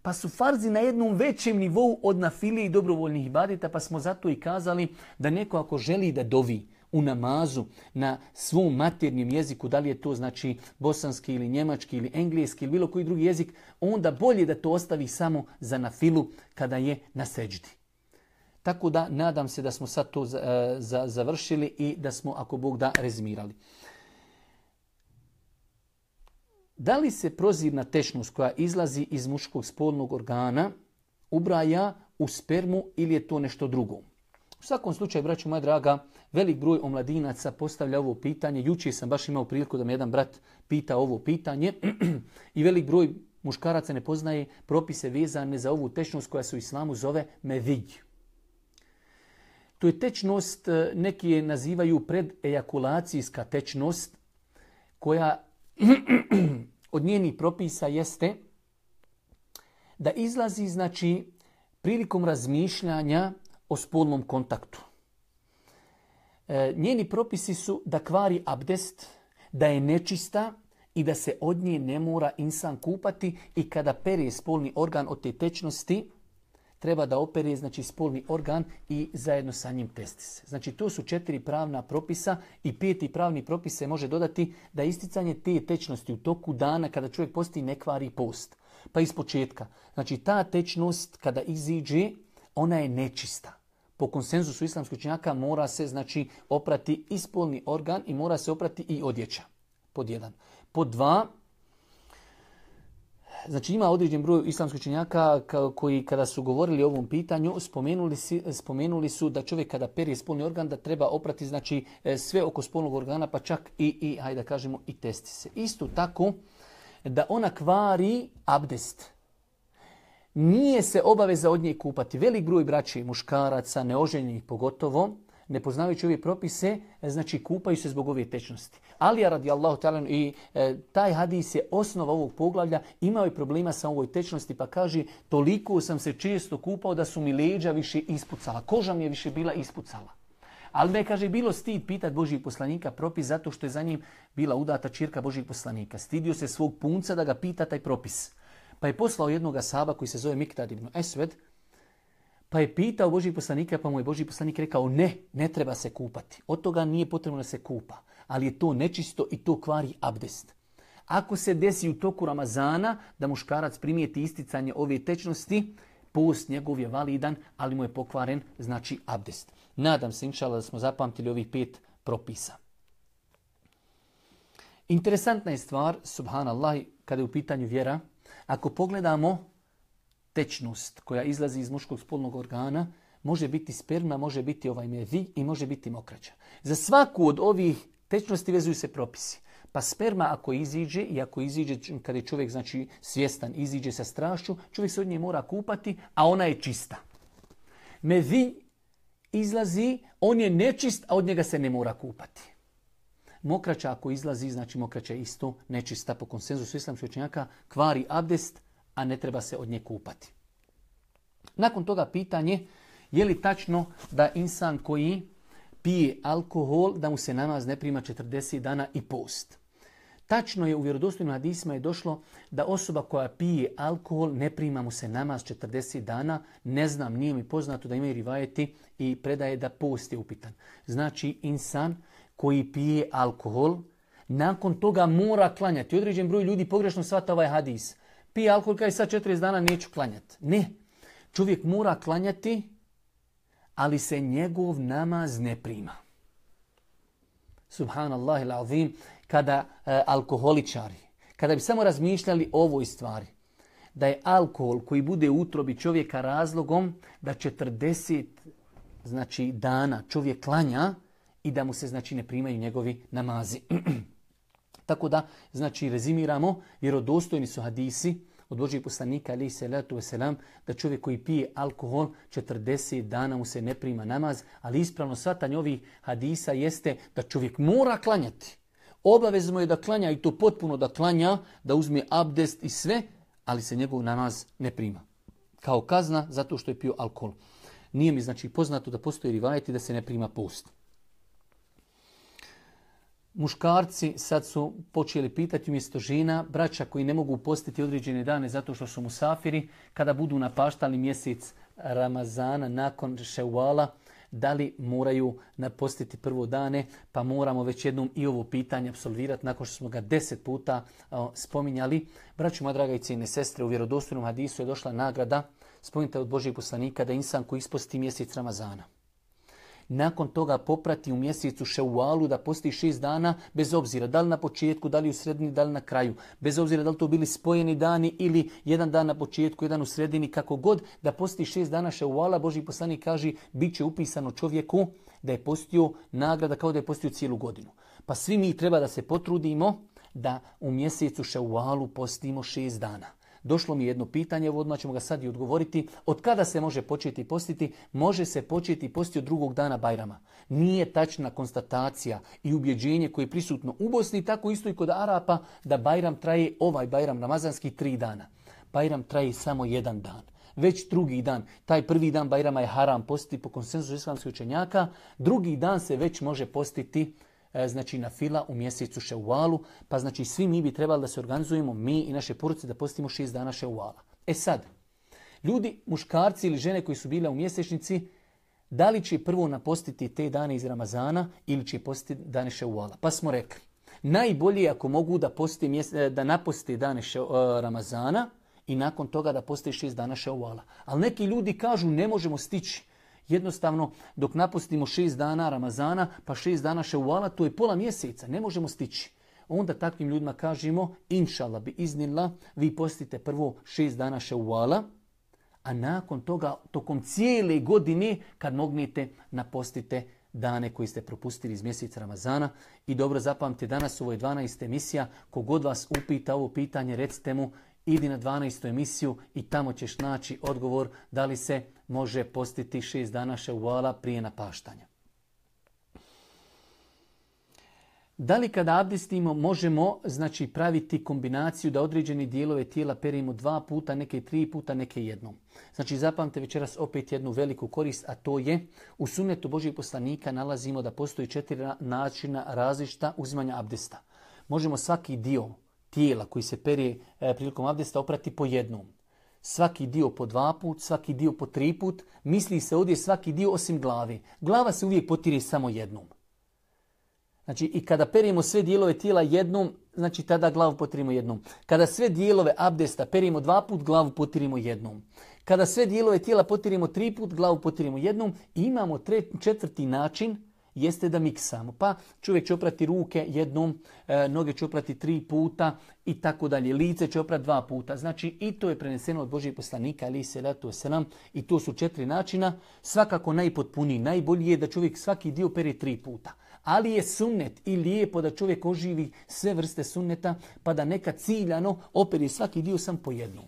Pa su farzi na jednom većem nivou od nafile i dobrovoljnih ibadeta, pa smo zato i kazali da neko ako želi da dovi u namazu na svom maternjem jeziku, da li je to znači bosanski ili njemački ili engleski ili bilo koji drugi jezik, onda bolje da to ostavi samo za nafilu kada je na seđdi. Tako da nadam se da smo sad to za, za, završili i da smo, ako Bog da, rezimirali. Da li se prozirna tečnost koja izlazi iz muškog spolnog organa ubraja u spermu ili je to nešto drugo? U svakom slučaju, braćo moja draga, velik broj omladinaca postavlja ovo pitanje. Jučer sam baš imao priliku da me jedan brat pita ovo pitanje i velik broj muškaraca ne poznaje propise vezane za ovu tečnost koja se u islamu zove medij. To je tečnost, neki je nazivaju predejakulacijska tečnost, koja od njenih propisa jeste da izlazi, znači, prilikom razmišljanja o spolnom kontaktu. E, njeni propisi su da kvari abdest, da je nečista i da se od nje ne mora insan kupati i kada pere spolni organ od te tečnosti, treba da opere, znači, spolni organ i zajedno sa njim testi se. Znači, to su četiri pravna propisa i peti pravni propis se može dodati da isticanje te tečnosti u toku dana kada čovjek posti ne kvari post. Pa iz početka. Znači, ta tečnost kada iziđe, ona je nečista. Po konsenzusu islamskih učenjaka mora se, znači, oprati i spolni organ i mora se oprati i odjeća. Pod jedan. Pod dva, znači ima određen broj islamskih učenjaka koji kada su govorili o ovom pitanju spomenuli, spomenuli su da čovjek kada pere spolni organ da treba oprati, znači, sve oko spolnog organa, pa čak i, i hajde da kažemo, i testi se. Isto tako da ona kvari abdest. Nije se obaveza od nje kupati. Velik broj braći, muškaraca, neoženjenih pogotovo, ne poznavajući ove propise, znači kupaju se zbog ove tečnosti. Alija radijallahu ta'ala i e, taj hadis je osnova ovog poglavlja, imao je problema sa ovoj tečnosti, pa kaže toliko sam se često kupao da su mi leđa više ispucala, koža mi je više bila ispucala. Ali me, kaže, bilo stid pitati Božijeg poslanika propis zato što je za njim bila udata ćerka Božijeg poslanika. Stidio se svog punca da ga pita taj propis. Pa je poslao jednog ashaba koji se zove Miktad ibn Esved, pa je pitao Božijeg poslanika, pa mu je Božji poslanik rekao ne, ne treba se kupati. Od toga nije potrebno da se kupa, ali je to nečisto i to kvari abdest. Ako se desi u toku Ramazana da muškarac primijeti isticanje ove tečnosti, post njegov je validan, ali mu je pokvaren, znači, abdest. Nadam se, inšala, da smo zapamtili ovih pet propisa. Interesantna je stvar, subhanallah, kada je u pitanju vjera, ako pogledamo tečnost koja izlazi iz muškog spolnog organa, može biti sperma, može biti ovaj medij i može biti mokraća. Za svaku od ovih tečnosti vezuju se propisi. Pa sperma ako iziđe i ako iziđe kada je čovjek, znači, svjestan, iziđe sa strašću, čovjek se od nje mora kupati, a ona je čista. Medij izlazi, on je nečist, a od njega se ne mora kupati. Mokraća ako izlazi, znači mokraća je isto nečista po konsenzusu islamskih učenjaka, kvari abdest, a ne treba se od nje kupati. Nakon toga pitanje, je li tačno da insan koji pije alkohol, da mu se namaz ne prima četrdeset dana i post? Tačno je, u vjerodostojnim hadisima je došlo da osoba koja pije alkohol ne prima mu se namaz četrdeset dana. Ne znam, nije mi poznato da imaju rivajeti i predaje da post je upitan. Znači, insan koji pije alkohol, nakon toga mora klanjati. Određen broj ljudi pogrešno shvata ovaj hadis. Pije alkohol, kaj sad četrdeset dana neću klanjati. Ne. Čovjek mora klanjati, ali se njegov namaz ne prima. Subhanallah il-azim, kada e, alkoholičari, kada bi samo razmišljali o ovoj stvari, da je alkohol koji bude u utrobi čovjeka razlogom da četrdeset, znači, dana čovjek klanja i da mu se, znači, ne primaju njegovi namazi. Tako da, znači, rezimiramo, vjerodostojni su hadisi od Božijeg poslanika, alejhi salatu vesselam, da čovjek koji pije alkohol četrdeset dana mu se ne prima namaz, ali ispravno shvatanje ovih hadisa jeste da čovjek mora klanjati. Obavezno je da klanja i to potpuno da klanja, da uzme abdest i sve, ali se njegov namaz ne prima. Kao kazna zato što je pio alkohol. Nije mi, znači, poznato da postoji rivajeti da se ne prima post. Muškarci sad su počeli pitati umjesto žena, braća koji ne mogu postiti određene dane zato što su musafiri, kada budu napaštali mjesec Ramazana nakon Ševala, da li moraju napostiti prvo dane, pa moramo već jednom i ovo pitanje apsolvirati nakon što smo ga deset puta o, spominjali. Braćo moja draga i cijene sestre, u vjerodostojnom hadisu je došla nagrada, spominjate od Božijeg poslanika, da insan koji isposti mjesec Ramazana, nakon toga poprati u mjesecu Ševalu da posti šest dana, bez obzira da li na početku, da li u sredini, da li na kraju. Bez obzira da li to bili spojeni dani ili jedan dan na početku, jedan u sredini, kako god, da posti šest dana Ševala, Božji poslanik kaže, bit će upisano čovjeku da je postio nagrada kao da je postio cijelu godinu. Pa svi mi treba da se potrudimo da u mjesecu Ševalu postimo šest dana. Došlo mi jedno pitanje, odmah ćemo ga sad i odgovoriti. Od kada se može početi postiti? Može se početi postiti od drugog dana Bajrama. Nije tačna konstatacija i ubjeđenje koje je prisutno u Bosni, tako isto i kod Arapa, da Bajram traje, ovaj Bajram ramazanski, tri dana. Bajram traje samo jedan dan. Već drugi dan, taj prvi dan Bajrama je haram postiti po konsenzusu islamskih učenjaka, drugi dan se već može postiti znači na fila u mjesecu Ševalu, pa znači svi mi bi trebali da se organizujemo, mi i naše porodice, da postimo šest dana Ševala. E sad, ljudi, muškarci ili žene koji su bile u mjesečnici, da li će prvo napostiti te dane iz Ramazana ili će postiti dane Ševala? Pa smo rekli, najbolje je ako mogu da, da naposte dane še, uh, Ramazana i nakon toga da poste šest dana Ševala. Ali neki ljudi kažu ne možemo stići. Jednostavno, dok napustimo šest dana Ramazana, pa šest dana Ševala, to je pola mjeseca, ne možemo stići. Onda takvim ljudima kažemo, inšallah bi iznila, vi postite prvo šest dana Ševala, a nakon toga, tokom cijele godine, kad mognete, napostite dane koji ste propustili iz mjeseca Ramazana. I dobro zapamtite, danas ovo je dvanaesta emisija, kogod vas upita ovo pitanje, recite mu, idi na dvanaestu emisiju i tamo ćeš naći odgovor da li se može postiti šest dana Ševala prije napaštanja. Da li kada abdestimo možemo znači praviti kombinaciju da određeni dijelove tijela perimo dva puta, neke tri puta, neke jednom. Znači zapamte večeras opet jednu veliku korist, a to je u sunnetu Božjeg poslanika nalazimo da postoji četiri načina različita uzimanja abdesta. Možemo svaki dio tijela koji se perije e, prilikom abdesta oprati po jednom. Svaki dio po dva put, svaki dio po tri put. Misli se ovdje svaki dio osim glave. Glava se uvijek potire samo jednom. Znači i kada perijemo sve dijelove tijela jednom, znači tada glavu potirimo jednom. Kada sve dijelove abdesta perijemo dva put, glavu potirimo jednom. Kada sve dijelove tijela potirimo tri put, glavu potirimo jednom. I imamo tre, četvrti način, jeste da miksamo. Pa čovjek će oprati ruke jednom, e, noge će oprati tri puta i tako dalje. Lice će oprati dva puta. Znači i to je preneseno od Božijeg poslanika, alejhi selatu vesselam, i to su četiri načina. Svakako najpotpuniji, najbolji je da čovjek svaki dio pere tri puta. Ali je sunnet i lijepo da čovjek oživi sve vrste sunneta, pa da nekad ciljano operi svaki dio sam po jednom.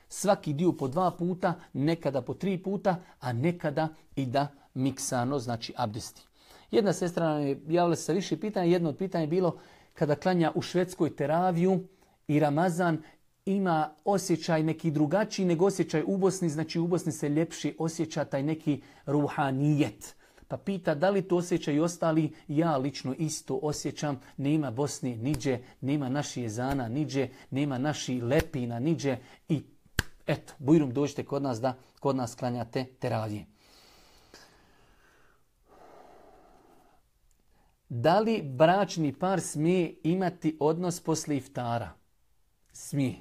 Svaki dio po dva puta, nekada po tri puta, a nekada i da miksano, znači abdesti. Jedna sestra nam je javila se sa više pitanja. Jedno od pitanja je bilo kada klanja u Švedskoj teraviju i Ramazan, ima osjećaj neki drugačiji nego osjećaj u Bosni. Znači u Bosni se ljepši osjeća taj neki ruhanijet. Pa pita da li to osjećaju ostali. Ja lično isto osjećam. Nema Bosni niđe, nema naši jezana niđe, nema naši lepina niđe. I eto, bujrum dođite kod nas da kod nas klanjate teravije. Da li bračni par smije imati odnos posle iftara? Smije.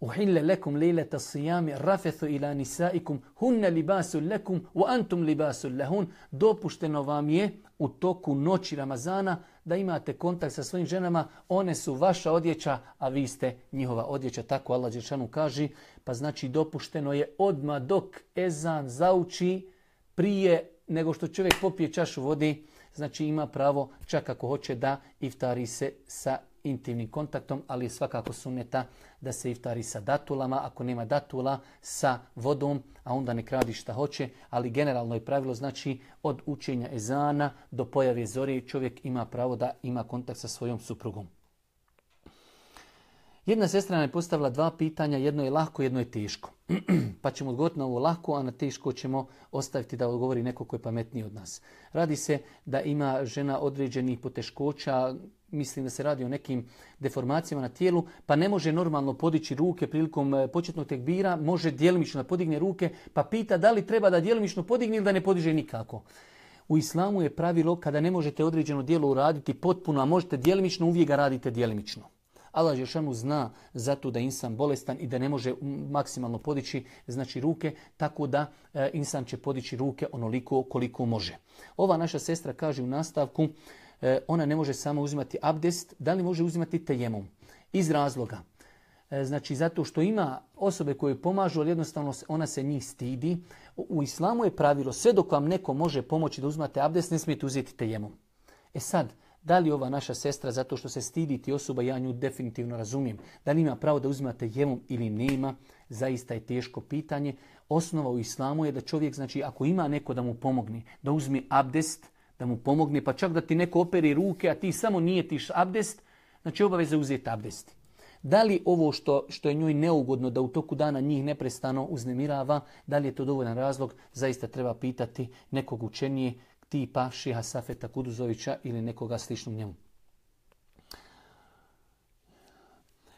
Uhille lekum lejleta sijami rafethu ila nisaikum hunne libasu lekum u antum libasu lehun. Dopušteno vam je u toku noći Ramazana da imate kontakt sa svojim ženama. One su vaša odjeća, a vi ste njihova odjeća. Tako Allah dželešanu kaže. Pa znači dopušteno je odmah dok ezan zauči prije nego što čovjek popije čašu vode. Znači ima pravo čak ako hoće da iftari se sa intimnim kontaktom, ali je svakako sunneta da se iftari sa datulama. Ako nema datula, sa vodom, a onda nek radi šta hoće. Ali generalno je pravilo, znači od učenja ezana do pojave zore čovjek ima pravo da ima kontakt sa svojom suprugom. Jedna sestra nam je postavila dva pitanja, jedno je lahko, jedno je teško. Pa ćemo odgovoriti na ovo lahko, a na teško ćemo ostaviti da odgovori neko ko je pametniji od nas. Radi se da ima žena određenih poteškoća, mislim da se radi o nekim deformacijama na tijelu, pa ne može normalno podići ruke prilikom početnog tekbira, može djelimično da podigne ruke, pa pita da li treba da djelimično podigne ili da ne podiže nikako. U islamu je pravilo kada ne možete određeno djelo uraditi potpuno, a možete djelimično, uvijek ga radite djelimično. Allah dželešanu zna zato da je insan bolestan i da ne može maksimalno podići znači ruke, tako da e, insan će podići ruke onoliko koliko može. Ova naša sestra kaže u nastavku, e, ona ne može samo uzimati abdest, da li može uzimati tejemum? Iz razloga. Znači, zato što ima osobe koje pomažu, ali jednostavno ona se njih stidi. U islamu je pravilo, sve dok vam neko može pomoći da uzmate abdest, ne smijete uzeti tejemum. E sad, da li ova naša sestra, zato što se stidi ti osoba, ja nju definitivno razumijem, da li ima pravo da uzmate tejemum ili nema, zaista je teško pitanje. Osnova u islamu je da čovjek, znači, ako ima neko da mu pomogne, da uzme abdest, da mu pomogne, pa čak da ti neko operi ruke, a ti samo nijetiš abdest, znači obaveza uzeti abdest. Da li ovo što, što je njoj neugodno da u toku dana njih neprestano uznemirava, da li je to dovoljan razlog, zaista treba pitati nekog učenije tipa Šiha Safeta Kuduzovića ili nekoga sličnog njemu.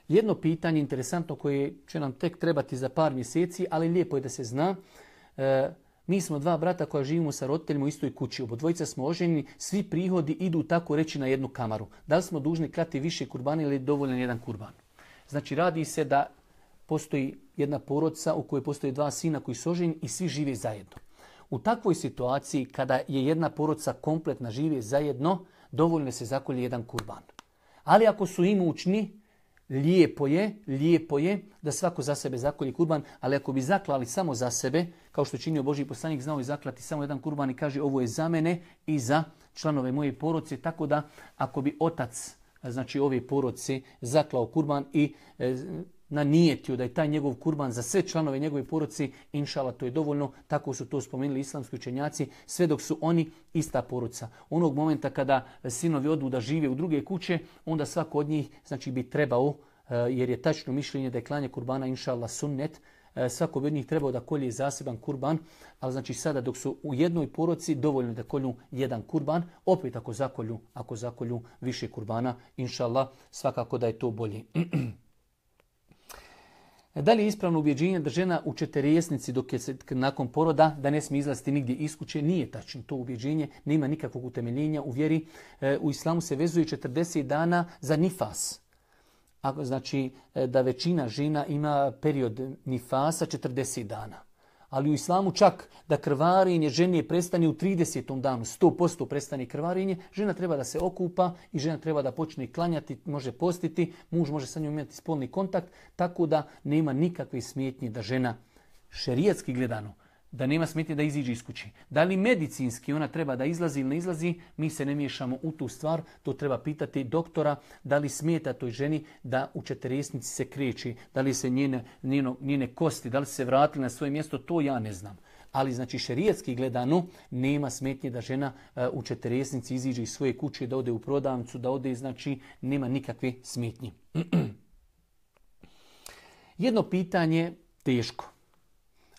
Jedno pitanje interesantno koje će nam tek trebati za par mjeseci, ali lijepo je da se zna. E, mi smo dva brata koja živimo sa roditeljima u istoj kući. Obodvojica smo oženjeni, svi prihodi idu tako reći na jednu kamaru. Da li smo dužni klati više kurbana ili je dovoljan jedan kurban? Znači, radi se da postoji jedna porodica u kojoj postoje dva sina koji su oženjeni i svi žive zajedno. U takvoj situaciji, kada je jedna porodica kompletna žive zajedno, dovoljno se zakolje jedan kurban. Ali ako su imućni, lijepo je, lijepo je da svako za sebe zakolje kurban, ali ako bi zaklali samo za sebe, kao što činio Božji poslanik, znao je zaklati samo jedan kurban i kaže ovo je za mene i za članove moje porodice, tako da ako bi otac, znači ove porodice, zaklao kurban i e, nanijetio da je taj njegov kurban za sve članove njegove porodice, inšala to je dovoljno, tako su to spomenuli islamski učenjaci, sve dok su oni ista porodica. Onog momenta kada sinovi odu da žive u druge kuće, onda svako od njih znači bi trebao, e, jer je tačno mišljenje da je klanje kurbana inšala sunnet, svako bi od njih trebao da kolje zaseban kurban, ali znači sada dok su u jednoj porodici dovoljno da kolju jedan kurban, opet ako zakolju, ako zakolju više kurbana, inšallah, svakako da je to bolje. Da li je ispravno ubjeđenje da žena u četrdesetnici dok je nakon poroda da ne smije izlaziti nigdje iz kuće? Nije tačno. To ubjeđenje nema nikakvog utemeljenja u vjeri. U islamu se vezuje četrdeset dana za nifas. Ako znači da većina žena ima period nifasa četrdeset dana. Ali u islamu čak da krvarenje žene prestane u tridesetom danu, sto posto prestane krvarenje, žena treba da se okupa i žena treba da počne klanjati, može postiti, muž može sa njom imati spolni kontakt, tako da nema nikakve smetnje da žena šerijatski gledano, da nema smetnje da iziđe iz kuće. Da li medicinski ona treba da izlazi ili ne izlazi, mi se ne miješamo u tu stvar, to treba pitati doktora da li smeta toj ženi da u četrdesetnici se kreće, da li se njene, njeno, njene kosti, da li se vratili na svoje mjesto, to ja ne znam. Ali znači šerijatski gledano nema smetnje da žena uh, u četrdesetnici iziđe iz svoje kuće, da ode u prodavnicu, da ode, znači nema nikakve smetnje. Jedno pitanje teško.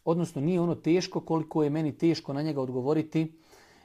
Odnosno nije ono teško koliko je meni teško na njega odgovoriti,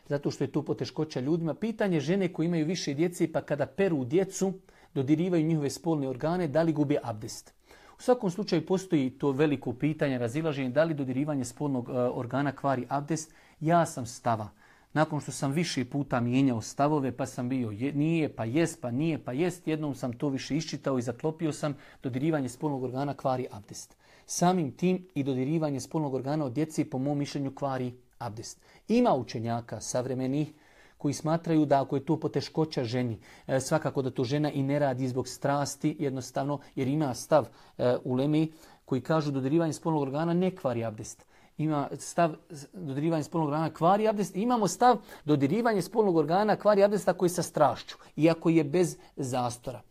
zato što je tu poteškoća ljudima. Pitanje žene koji imaju više djece pa kada peru djecu, dodirivaju njihove spolne organe, da li gube abdest? U svakom slučaju postoji to veliko pitanje, razilaženje, da li dodirivanje spolnog uh, organa kvari abdest. Ja sam stava. Nakon što sam više puta mijenjao stavove, pa sam bio je, nije, pa jest, pa nije, pa jest, jednom sam to više iščitao i zaklopio sam, dodirivanje spolnog organa kvari abdest. Samim tim i dodirivanje spolnog organa od djece po mom mišljenju kvari abdest. Ima učenjaka savremenih koji smatraju da ako je to poteškoća ženi, e, svakako da to žena i ne radi zbog strasti, jednostavno, jer ima stav e, ulemi koji kažu dodirivanje spolnog organa ne kvari abdest. Ima stav dodirivanje spolnog organa kvari abdest. Imamo stav dodirivanje spolnog organa kvari abdest ako je sa strašću, iako je bez zastora.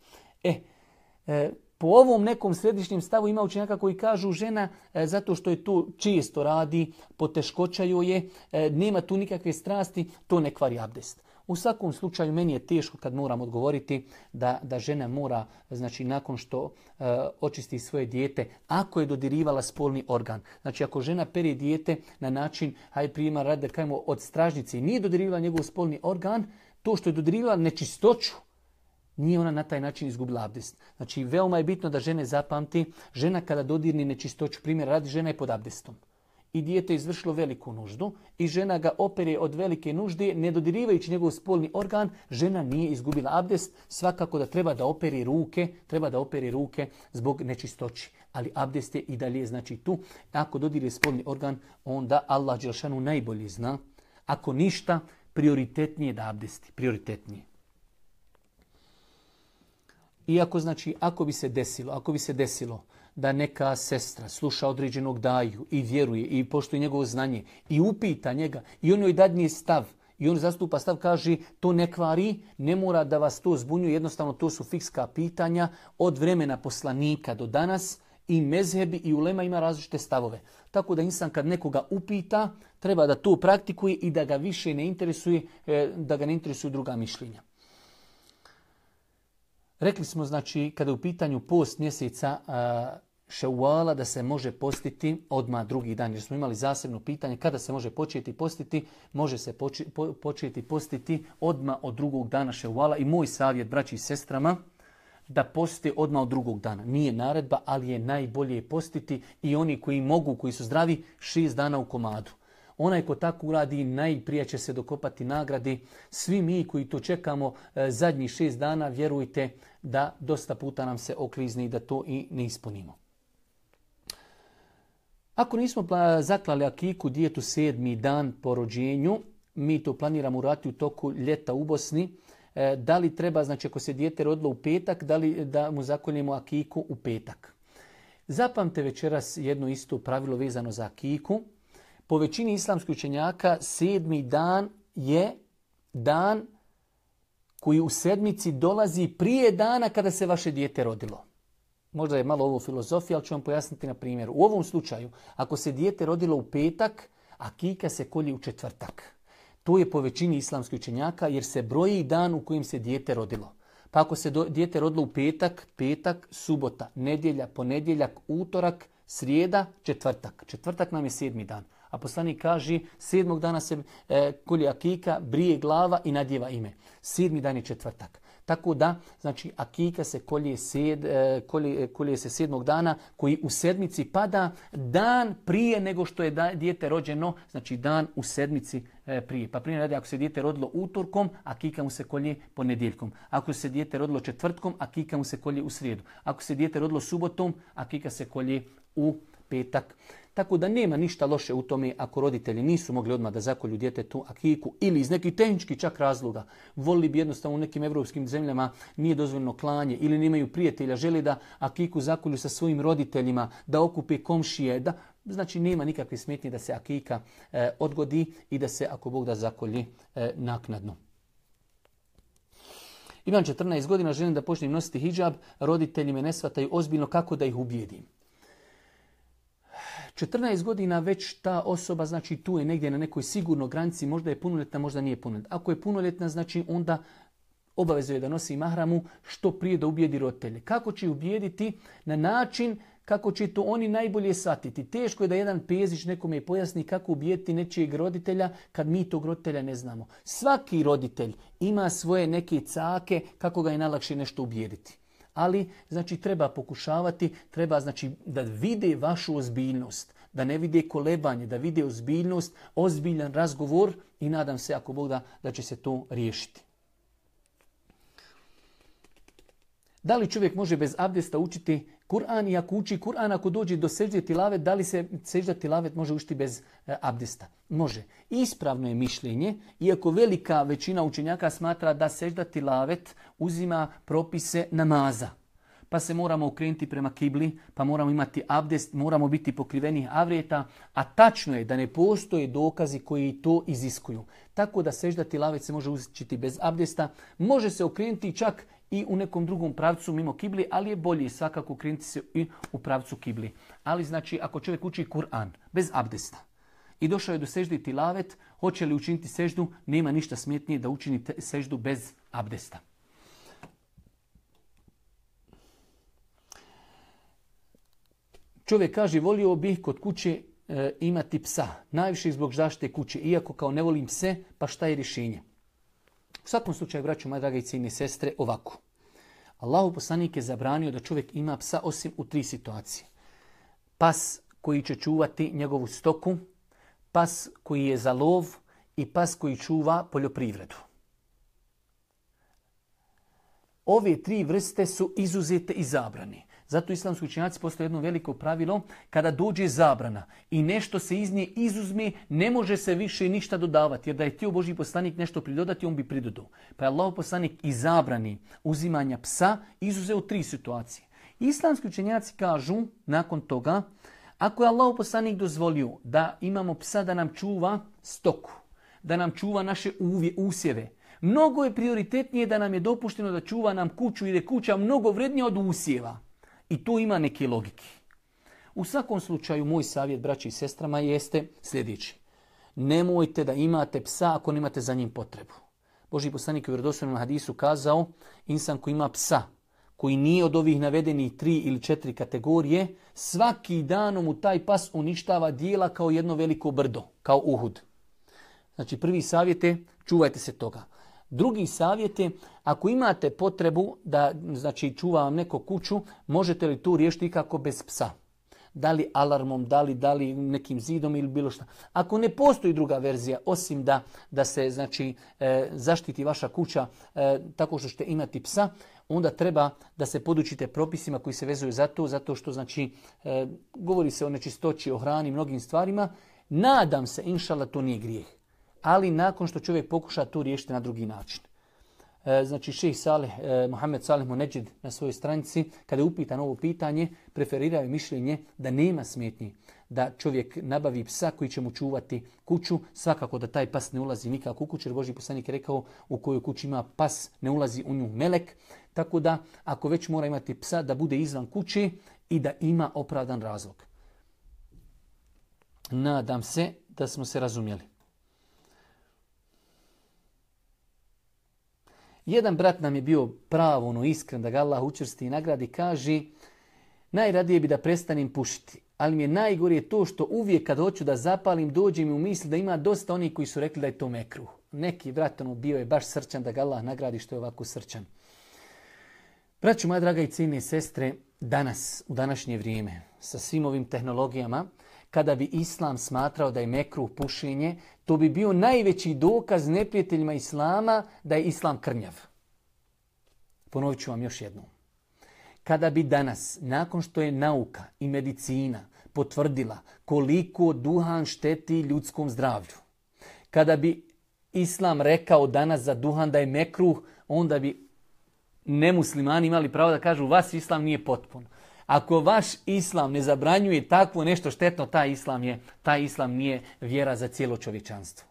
E, e Po ovom nekom središnjem stavu ima učenjaka koji kažu žena e, zato što je to često radi, poteškoća joj je, e, nema tu nikakve strasti, to ne kvari abdest. U svakom slučaju meni je teško kad moram odgovoriti da, da žena mora, znači nakon što e, očisti svoje dijete, ako je dodirivala spolni organ. Znači ako žena pere dijete na način, hajde prijema radi da kajemo od stražnice i nije dodirivala njegov spolni organ, to što je dodirivala nečistoću, nije ona na taj način izgubila abdest. Znači, veoma je bitno da žene zapamti, žena kada dodirni nečistoću, primjer radi, žena je pod abdestom. i dijete izvršilo veliku nuždu i žena ga opere od velike nužde, ne dodirivajući njegov spolni organ, žena nije izgubila abdest, svakako da treba da operi ruke, treba da operi ruke zbog nečistoći. Ali abdest je i dalje znači tu. Ako dodirje spolni organ, onda Allah dželešanu najbolje zna. Ako ništa, prioritetnije da abdesti, prioritetnije. Iako znači, ako bi se desilo, ako bi se desilo da neka sestra sluša određenog daju i vjeruje i poštuje njegovo znanje i upita njega i on joj dadne stav i on zastupa stav, kaže to ne kvari, ne mora da vas to zbunjuje, jednostavno to su fikska pitanja od vremena poslanika do danas i mezhebi i ulema ima različite stavove. Tako da insan kad nekoga upita, treba da to praktikuje i da ga više ne interesuje, da ga ne interesuju druga mišljenja. Rekli smo, znači, kada je u pitanju post mjeseca Ševala da se može postiti odmah drugi dan. Jer smo imali zasebno pitanje kada se može početi postiti. Može se poči, po, početi postiti odmah od drugog dana Ševala. I moj savjet braći i sestrama da poste odmah od drugog dana. Nije naredba, ali je najbolje postiti i oni koji mogu, koji su zdravi, šest dana u komadu. Onaj ko tako uradi, najprije će se dokopati nagradi. Svi mi koji to čekamo e, zadnjih šest dana, vjerujte da dosta puta nam se oklizni i da to i ne ispunimo. Ako nismo zaklali akiku djetu sedmi dan po rođenju, mi to planiramo uraditi u toku ljeta u Bosni. E, da li treba, znači ako se dijete rodilo u petak, da li da mu zakoljemo akiku u petak? Zapamte večeras jedno isto pravilo vezano za akiku. Po većini islamskih učenjaka sedmi dan je dan koji u sedmici dolazi prije dana kada se vaše dijete rodilo. Možda je malo ovo filozofija, ali ću vam pojasniti na primjeru. U ovom slučaju, ako se dijete rodilo u petak, akika se kolje u četvrtak. To je po većini islamskih učenjaka jer se broji dan u kojem se dijete rodilo. Pa ako se do, dijete rodilo u petak, petak, subota, nedjelja, ponedjeljak, utorak, srijeda, četvrtak. Četvrtak nam je sedmi dan. A poslanik kaže sedmog dana se e, kolje akika, brije glava i nadjeva ime. Sedmi dan je četvrtak. Tako da, znači, akika se kolje, sed, e, kolje, kolje se sedmog dana koji u sedmici pada dan prije nego što je da, dijete rođeno, znači dan u sedmici e, prije. Pa primjer radi, ako se dijete rodilo utorkom, akika mu se kolje ponedjeljkom. Ako se dijete rodilo četvrtkom, akika mu se kolje u srijedu. Ako se dijete rodilo subotom, akika se kolje u petak. Tako da nema ništa loše u tome ako roditelji nisu mogli odmah da zakolju djetetu akiku ili iz nekih tehničkih čak razloga. Volili bi jednostavno u nekim evropskim zemljama nije dozvoljeno klanje ili nemaju prijatelja, žele da akiku zakolju sa svojim roditeljima, da okupe komšije. Da, znači nema nikakve smetnje da se akika e, odgodi i da se ako Bog da zakolji e, naknadno. Imam četrnaest godina, želim da počnem nositi hidžab, roditelji me ne shvataju ozbiljno, kako da ih ubijedim. četrnaest godina već ta osoba, znači tu je negdje na nekoj sigurnoj granici, možda je punoljetna, možda nije punoljetna. Ako je punoljetna, znači onda obavezuje da nosi mahramu što prije da ubijedi roditelje. Kako će ubijediti? Na način kako će to oni najbolje shvatiti. Teško je da jedan pezić nekome pojasni kako ubijediti nečijeg roditelja kad mi tog roditelja ne znamo. Svaki roditelj ima svoje neke cake kako ga je najlakše nešto ubijediti. Ali, znači, treba pokušavati, treba, znači, da vide vašu ozbiljnost, da ne vide kolebanje, da vide ozbiljnost, ozbiljan razgovor i nadam se, ako Bog da, da će se to riješiti. Da li čovjek može bez abdesta učiti Kur'an i ako uči Kur'an, ako dođe do sežde tilavet, da li se sežda tilavet može učiti bez e, abdesta? Može. Ispravno je mišljenje, iako velika većina učenjaka smatra da sežda tilavet uzima propise namaza. Pa se moramo okrenuti prema kibli, pa moramo imati abdest, moramo biti pokriveni avrijeta, a tačno je da ne postoje dokazi koji to iziskuju. Tako da sežda tilavet se može učiti bez abdesta, može se okrenuti čak i u nekom drugom pravcu mimo kibli, ali je bolje svakako okrenuti se i u pravcu kibli. Ali znači ako čovjek uči Kur'an bez abdesta i došao je do sežde tilavet, hoće li učiniti seždu, nema ništa smetnije da učini seždu bez abdesta. Čovjek kaže, volio bih kod kuće e, imati psa, najviše zbog zaštite kuće, iako kao ne volim pse, pa šta je rješenje? U svakom slučaju, braćo, moje drage i cijene sestre, ovako. Allahov poslanik je zabranio da čovjek ima psa osim u tri situacije. Pas koji će čuvati njegovu stoku, pas koji je za lov i pas koji čuva poljoprivredu. Ove tri vrste su izuzete i zabrane. Zato islamski učenjaci postoje jedno veliko pravilo, kada dođe zabrana i nešto se iz nje izuzme, ne može se više ništa dodavati. Jer da je htio Božji poslanik nešto pridodati, on bi pridodao. Pa je Allahov poslanik i zabrani uzimanja psa izuzeo tri situacije. Islamski učenjaci kažu nakon toga, ako je Allahov poslanik dozvolio da imamo psa da nam čuva stoku, da nam čuva naše uvje, usjeve, mnogo je prioritetnije da nam je dopušteno da čuva nam kuću, jer je kuća mnogo vrednija od usjeva. I tu ima neke logike. U svakom slučaju, moj savjet braći i sestrama jeste sljedeći. Nemojte da imate psa ako nemate za njim potrebu. Božji poslanik u vjerodostojnom hadisu kazao, insan koji ima psa, koji nije od ovih navedenih tri ili četiri kategorije, svaki dan mu taj pas uništava dijela kao jedno veliko brdo, kao Uhud. Znači prvi savjet je, čuvajte se toga. Drugi savjet je, ako imate potrebu da znači, čuva vam neko kuću, možete li tu riješiti ikako bez psa? Da li alarmom, da li, da li nekim zidom ili bilo šta. Ako ne postoji druga verzija, osim da, da se znači, e, zaštiti vaša kuća e, tako što ćete imati psa, onda treba da se podučite propisima koji se vezuju za to, zato što znači, e, govori se o nečistoći, o hrani, mnogim stvarima. Nadam se, inšallah, to nije grijeh. Ali nakon što čovjek pokuša to riješiti na drugi način. E, znači šejh Saleh, e, Mohamed Saleh Monedžid na svojoj stranici, kada je upitan ovo pitanje, preferirao je mišljenje da nema smetnji da čovjek nabavi psa koji će mu čuvati kuću. Svakako da taj pas ne ulazi nikako u kuću, jer Božji poslanik je rekao u kojoj kući ima pas ne ulazi u nju melek. Tako da ako već mora imati psa da bude izvan kuće i da ima opravdan razlog. Nadam se da smo se razumjeli. Jedan brat nam je bio pravo ono iskren da ga Allah učvrsti i nagradi, kaže najradije bi da prestanem pušiti, ali mi je najgore to što uvijek kad hoću da zapalim dođe mi u misli da ima dosta onih koji su rekli da je to mekruh. Neki brat ono bio je baš srčan da ga Allah nagradi što je ovako srčan. Braćo moja draga i cijenine sestre, danas, u današnje vrijeme, sa svim ovim tehnologijama, kada bi Islam smatrao da je mekruh pušenje, to bi bio najveći dokaz neprijateljima Islama da je Islam krnjav. Ponovit ću vam još jednom. Kada bi danas, nakon što je nauka i medicina potvrdila koliko duhan šteti ljudskom zdravlju, kada bi Islam rekao danas za duhan da je mekruh, onda bi nemuslimani imali pravo da kažu vas Islam nije potpun. Ako vaš Islam ne zabranjuje takvo nešto štetno, taj Islam, je, taj Islam nije vjera za cijelo čovječanstvo.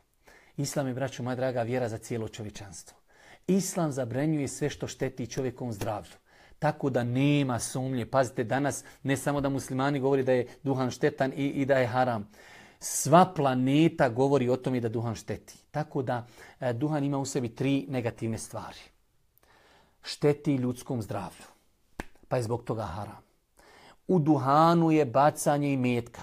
Islam je, braćo moja draga, vjera za cijelo čovječanstvo. Islam zabranjuje sve što šteti čovjekovom zdravlju. Tako da nema sumnje. Pazite, danas ne samo da muslimani govori da je duhan štetan i, i da je haram. Sva planeta govori o tome da duhan šteti. Tako da e, duhan ima u sebi tri negativne stvari. Šteti ljudskom zdravlju, pa je zbog toga haram. U duhanu je bacanje imetka.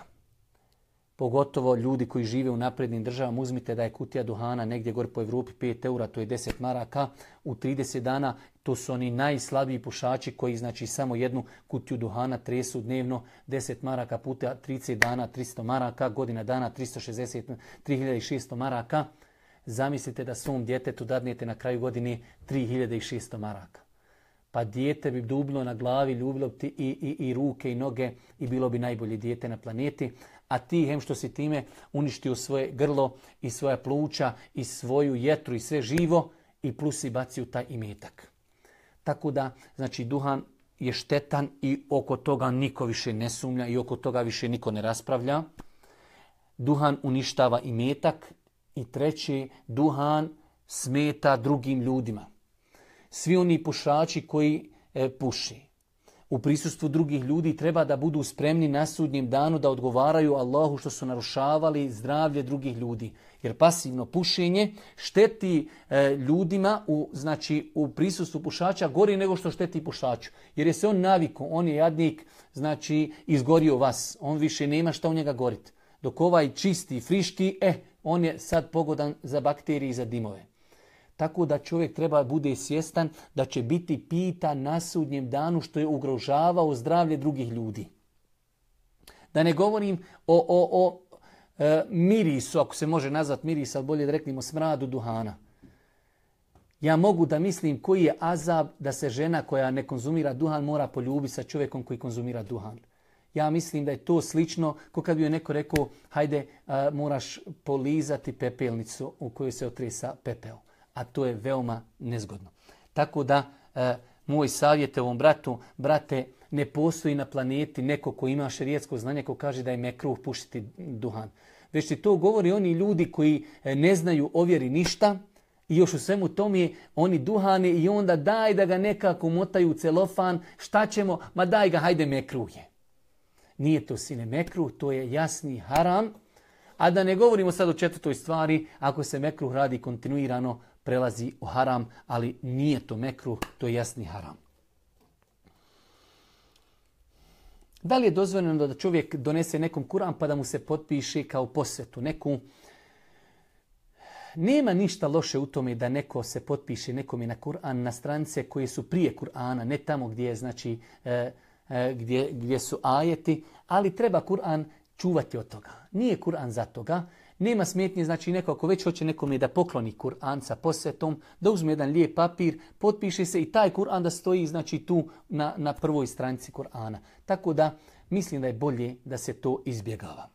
Pogotovo ljudi koji žive u naprednim državama, uzmite da je kutija duhana negdje gore po Evropi pet eura, to je deset maraka. U trideset dana to su oni najslabiji pušači koji znači samo jednu kutiju duhana tresu dnevno, deset maraka puta trideset dana, tristo maraka, godina dana tristo šezdeset, tri hiljade šesto maraka. Zamislite da svom djetetu dadnete na kraju godine tri hiljade šesto maraka. Pa dijete bi dublo na glavi, ljubilo bi ti i, i, i ruke i noge i bilo bi najbolje dijete na planeti. A ti, hem što si time uništio svoje grlo i svoja pluća i svoju jetru i sve živo i plus si bacio taj imetak. Tako da, znači, duhan je štetan i oko toga niko više ne sumnja i oko toga više niko ne raspravlja. Duhan uništava imetak i treći, duhan smeta drugim ljudima. Svi oni pušači koji e, puši u prisustvu drugih ljudi treba da budu spremni na sudnjem danu da odgovaraju Allahu što su narušavali zdravlje drugih ljudi. Jer pasivno pušenje šteti e, ljudima u, znači, u prisustvu pušača gori nego što šteti pušaču. Jer je se on navikao, on je jadnik, znači izgorio vas. On više nema šta u njega goriti. Dok ovaj čisti, friški, eh, on je sad pogodan za bakterije i za dimove. Tako da čovjek treba bude svjestan da će biti pitan na sudnjem danu što je ugrožavao zdravlje drugih ljudi. Da ne govorim o, o, o e, mirisu, ako se može nazvati miris, ali bolje da reknemo smradu duhana. Ja mogu da mislim koji je azab da se žena koja ne konzumira duhan mora poljubiti sa čovjekom koji konzumira duhan. Ja mislim da je to slično kao kad bi joj neko rekao hajde a, moraš polizati pepelnicu u kojoj se otresa pepeo. A to je veoma nezgodno. Tako da a, moj savjet ovom bratu, brate, ne postoji na planeti neko ko ima šerijetsko znanje ko kaže da je mekruh pušiti duhan. Već ti to govori oni ljudi koji ne znaju o vjeri ništa i još u svemu tome oni duhane i onda daj da ga nekako motaju u celofan, šta ćemo, ma daj ga, hajde mekruh je. Nije to sine mekruh, to je jasni haram. A da ne govorimo sad o četvrtoj stvari, ako se mekruh radi kontinuirano, prelazi u haram, ali nije to mekruh, to je jasni haram. Da li je dozvoljeno da čovjek donese nekom Kur'an pa da mu se potpiše kao posvetu? Neku... Nema ništa loše u tome da neko se potpiše nekome na Kur'an na stranice koje su prije Kur'ana, ne tamo gdje je znači... E, Gdje, gdje su ajeti, ali treba Kur'an čuvati od toga. Nije Kur'an za toga. Nema smetnje, znači neko ako već hoće nekome da pokloni Kur'an sa posvetom, da uzme jedan lijep papir, potpiše se i taj Kur'an da stoji znači tu na, na prvoj stranici Kur'ana. Tako da mislim da je bolje da se to izbjegava.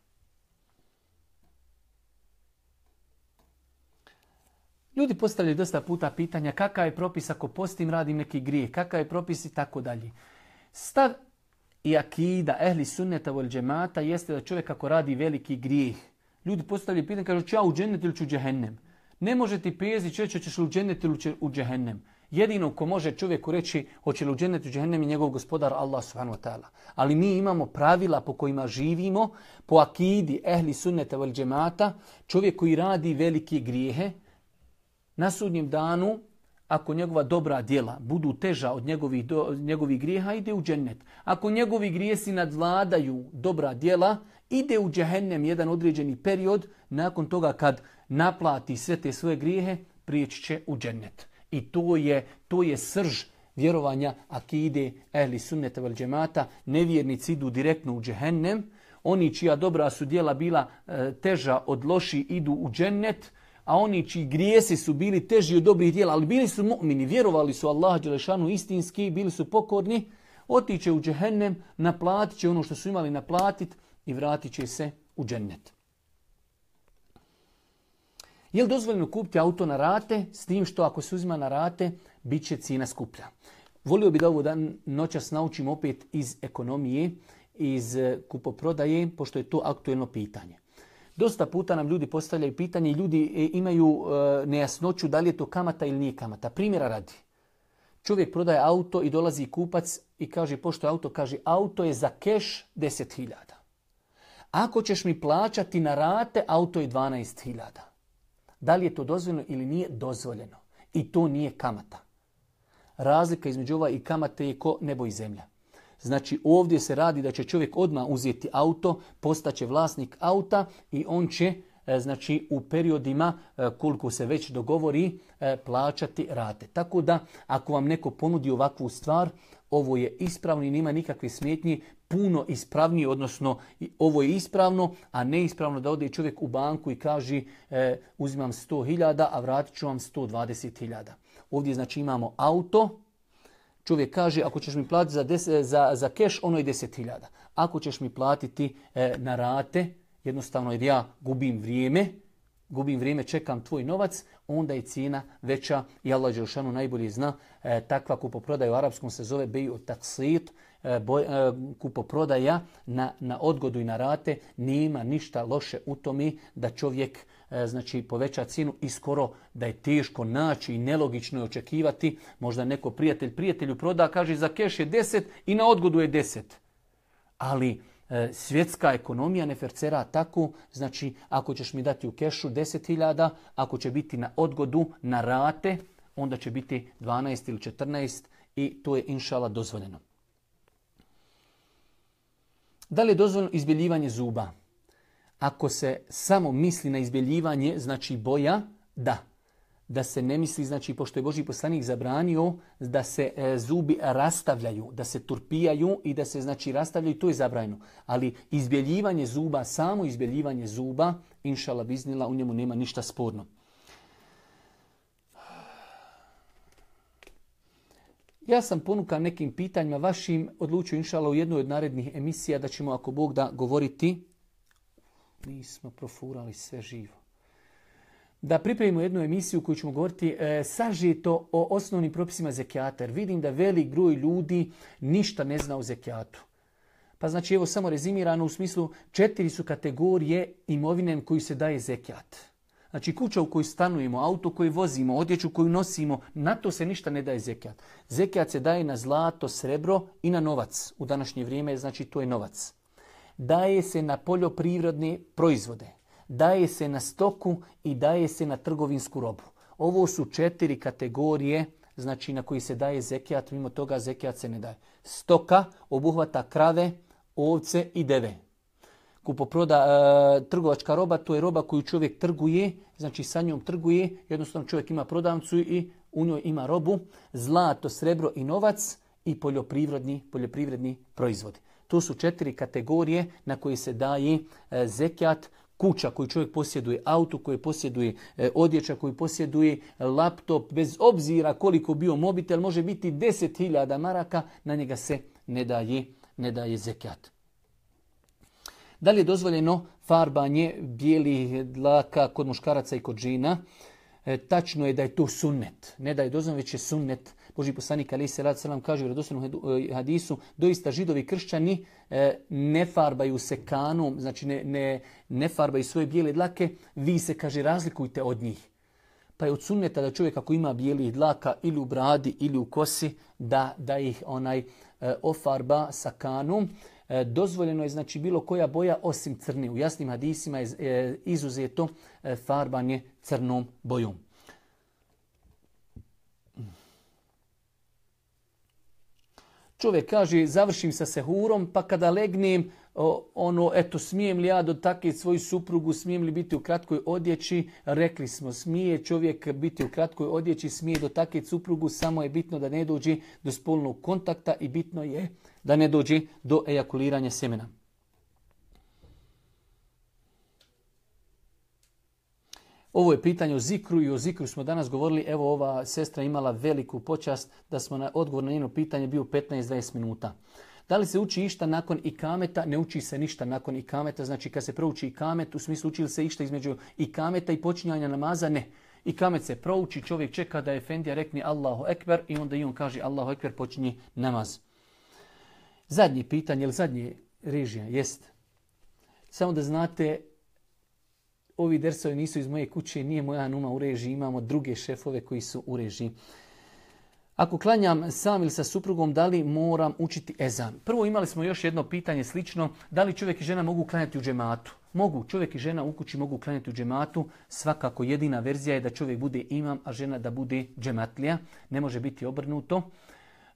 Ljudi postavljaju dosta puta pitanja kakav je propis ako postim, radim neki grijeh, kakav je propis i tako dalje. Stav i akida ehli sunneta vol džemata jeste da čovjek ako radi veliki grijeh. Ljudi postavljaju pitanje, kažu ću ja u džennet ili ću u džehennem. Ne može ti pezi čovječe ćeš li u džennet ili u džehennem. Jedino ko može čovjeku reći hoće li u džennet ili u džehennem je njegov gospodar Allah subhanahu wa ta'ala. Ali mi imamo pravila po kojima živimo, po akidi ehli sunneta vol džemata, čovjek koji radi velike grijehe, na sudnjem danu, ako njegova dobra djela budu teža od njegovih, do, njegovih grijeha, ide u džennet. Ako njegovi grijesi nadvladaju dobra djela, ide u džehennem jedan određeni period. Nakon toga kad naplati sve te svoje grijehe, prijeći će u džennet. I to je, to je srž vjerovanja akide ehli sunneta vel džemata. Nevjernici idu direktno u džehennem. Oni čija dobra su djela bila e, teža od loši idu u džennet. A oni čiji grijesi su bili teži od dobrih djela, ali bili su mu'mini, vjerovali su Allaha dželešanu istinski, bili su pokorni, otiće u džehennem, naplatit će ono što su imali naplatit i vratit će se u džennet. Je li dozvoljeno kupiti auto na rate, s tim što ako se uzima na rate, bit će cijena skuplja? Volio bi da ovo dan noćas naučim opet iz ekonomije, iz kupoprodaje, pošto je to aktuelno pitanje. Dosta puta nam ljudi postavljaju pitanje i ljudi imaju e, nejasnoću da li je to kamata ili nije kamata. Primjera radi. Čovjek prodaje auto i dolazi kupac i kaže pošto je auto, kaže auto je za keš deset hiljada. Ako ćeš mi plaćati na rate, auto je dvanaest hiljada. Da li je to dozvoljeno ili nije dozvoljeno? I to nije kamata. Razlika između ova i kamate je ko nebo i zemlja. Znači ovdje se radi da će čovjek odmah uzeti auto, postaće vlasnik auta i on će znači u periodima koliko se već dogovori plaćati rate. Tako da ako vam neko ponudi ovakvu stvar, ovo je ispravno i nema nikakve smetnje, puno ispravnije, odnosno ovo je ispravno, a neispravno da ode čovjek u banku i kaže e, uzimam sto hiljada, a vratit ću vam sto dvadeset hiljada. Ovdje znači imamo auto. Čovjek kaže, ako ćeš mi platiti za, deset, za, za keš, ono je deset hiljada. Ako ćeš mi platiti e, na rate, jednostavno jer ja gubim vrijeme, gubim vrijeme, čekam tvoj novac, onda je cijena veća i Allah dželešanu najbolje zna. E, takva kupoprodaja u arapskom se zove beju taksit, e, boj, e, kupoprodaja na, na odgodu i na rate. Nema ništa loše u tome da čovjek e, znači poveća cijenu i skoro da je teško naći i nelogično je očekivati. Možda neko prijatelj prijatelju proda, kaže za keš je deset i na odgodu je deset. Ali e, svjetska ekonomija ne fercera tako, znači ako ćeš mi dati u kešu deset hiljada, ako će biti na odgodu, na rate, onda će biti dvanaest ili četrnaest i to je inšala dozvoljeno. Da li je dozvoljeno izbjeljivanje zuba? Ako se samo misli na izbjeljivanje, znači boja, da. da se ne misli, znači, pošto je Božji poslanik zabranio da se e, zubi rastavljaju, da se turpijaju i da se, znači, rastavljaju, to je zabranjeno. Ali izbjeljivanje zuba, samo izbjeljivanje zuba, inšala biznila, u njemu nema ništa sporno. Ja sam ponukan nekim pitanjima vašim, odlučio inšala u jednoj od narednih emisija da ćemo, ako Bog da, govoriti. Nismo profurali sve živo. Da pripremimo jednu emisiju koju ćemo govoriti e, sažeto o osnovnim propisima zekijata. Jer vidim da velik broj ljudi ništa ne zna o zekijatu. Pa znači evo samo rezimirano u smislu četiri su kategorije imovine koju se daje zekijat. Znači kuća u kojoj stanujemo, auto koji vozimo, odjeću koju nosimo, na to se ništa ne daje zekijat. Zekijat se daje na zlato, srebro i na novac. U današnje vrijeme znači to je novac. Daje se na poljoprivredne proizvode. Daje se na stoku i daje se na trgovinsku robu. Ovo su četiri kategorije, znači na koji se daje zekijat, mimo toga zekijat se ne daje. Stoka obuhvata krave, ovce i deve. Kupoproda, e, trgovačka roba, to je roba koju čovjek trguje, znači sa njom trguje, jednostavno čovjek ima prodavnicu i u njoj ima robu, zlato, srebro i novac i poljoprivredni, poljoprivredni proizvodi. To su četiri kategorije na koje se daje e, zekijat. Kuća koju čovjek posjeduje, auto koji posjeduje, e, odjeća koju posjeduje, laptop, bez obzira koliko bio mobitel, može biti deset hiljada maraka, na njega se ne daje, ne daje zekijat. Da li je dozvoljeno farbanje bijelih dlaka kod muškaraca i kod žena? E, tačno je da je to sunnet. Ne da je dozvoljeno, već je sunnet. Božji poslanik alejhi selatu selam kaže u vjerodostojnom hadisu, doista židovi i kršćani e, ne farbaju se kanom, znači ne, ne, ne farbaju svoje bijele dlake, vi se, kaže, razlikujte od njih. Pa je od sunneta da čovjek ako ima bijelih dlaka ili u bradi ili u kosi, da, da ih onaj e, ofarba sa kanom. E, dozvoljeno je znači bilo koja boja osim crne. U jasnim hadisima je e, izuzeto e, farbanje crnom bojom. Čovjek kaže, završim sa sehurom, pa kada legnem, ono, eto, smijem li ja dotaknuti svoju suprugu, smijem li biti u kratkoj odjeći? Rekli smo, smije čovjek biti u kratkoj odjeći, smije dotaknuti suprugu, samo je bitno da ne dođe do spolnog kontakta i bitno je da ne dođe do ejakuliranja sjemena. Ovo je pitanje o zikru i o zikru smo danas govorili. Evo, ova sestra imala veliku počast da smo na odgovor na njeno pitanje bio petnaest do dvadeset minuta. Da li se uči išta nakon ikameta? Ne uči se ništa nakon ikameta. Znači kad se prouči ikamet, u smislu uči li se išta između ikameta i počinjanja namaza? Ne. Ikamet se prouči, čovjek čeka da efendija rekne Allahu ekber i onda i on kaže Allahu ekber, počinje namaz. Zadnje pitanje, ili zadnje režija, jest. Samo da znate, ovi dersovi nisu iz moje kuće, nije moja numa u režiji, imamo druge šefove koji su u režiji. Ako klanjam sam ili sa suprugom, da li moram učiti ezan? Prvo imali smo još jedno pitanje slično, da li čovjek i žena mogu klanjati u džematu? Mogu, čovjek i žena u kući mogu klanjati u džematu, svakako jedina verzija je da čovjek bude imam, a žena da bude džematlija, ne može biti obrnuto.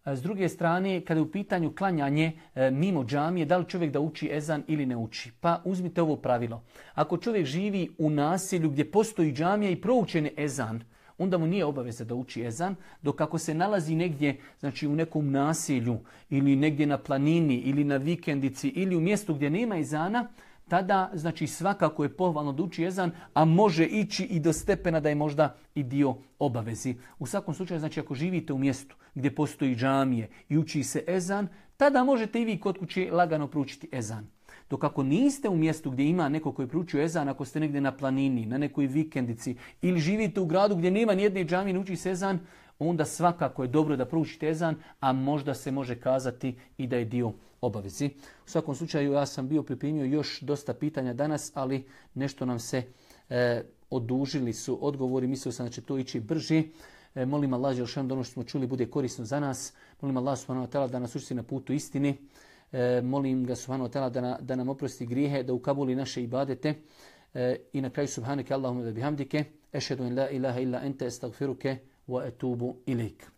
S druge strane, kada je u pitanju klanjanje e, mimo džamije, da li čovjek da uči ezan ili ne uči? Pa uzmite ovo pravilo. Ako čovjek živi u naselju gdje postoji džamija i proučen je ezan, onda mu nije obaveza da uči ezan, dok ako se nalazi negdje, znači u nekom naselju ili negdje na planini ili na vikendici ili u mjestu gdje nema ezana, tada znači svakako je pohvalno da uči ezan, a može ići i do stepena da je možda i dio obavezi. U svakom slučaju, znači ako živite u mjestu gdje postoji džamije i uči se ezan, tada možete i vi kod kuće lagano proučiti ezan. Dok ako niste u mjestu gdje ima neko koji proučuje ezan, ako ste negdje na planini, na nekoj vikendici ili živite u gradu gdje nema nijedne džamije i ne uči se ezan, onda svakako je dobro da proučite ezan, a možda se može kazati i da je dio obavezi. U svakom slučaju ja sam bio pripremio još dosta pitanja danas, ali nešto nam se e, odužili su odgovori, mislio sam da će to ići brže. E, molim Allah dželešanu da ono što smo čuli bude korisno za nas. Molim Allah subhanahu wa ta'ala da nas učiti na putu istine. E, molim ga subhanahu wa ta'ala da, na, da nam oprosti grijehe, da ukabuli naše ibadete. E, I na kraju subhaneke Allahumma ve bihamdike. Ešhedu in la ilaha illa ente estagfiruke wa etubu ilaik.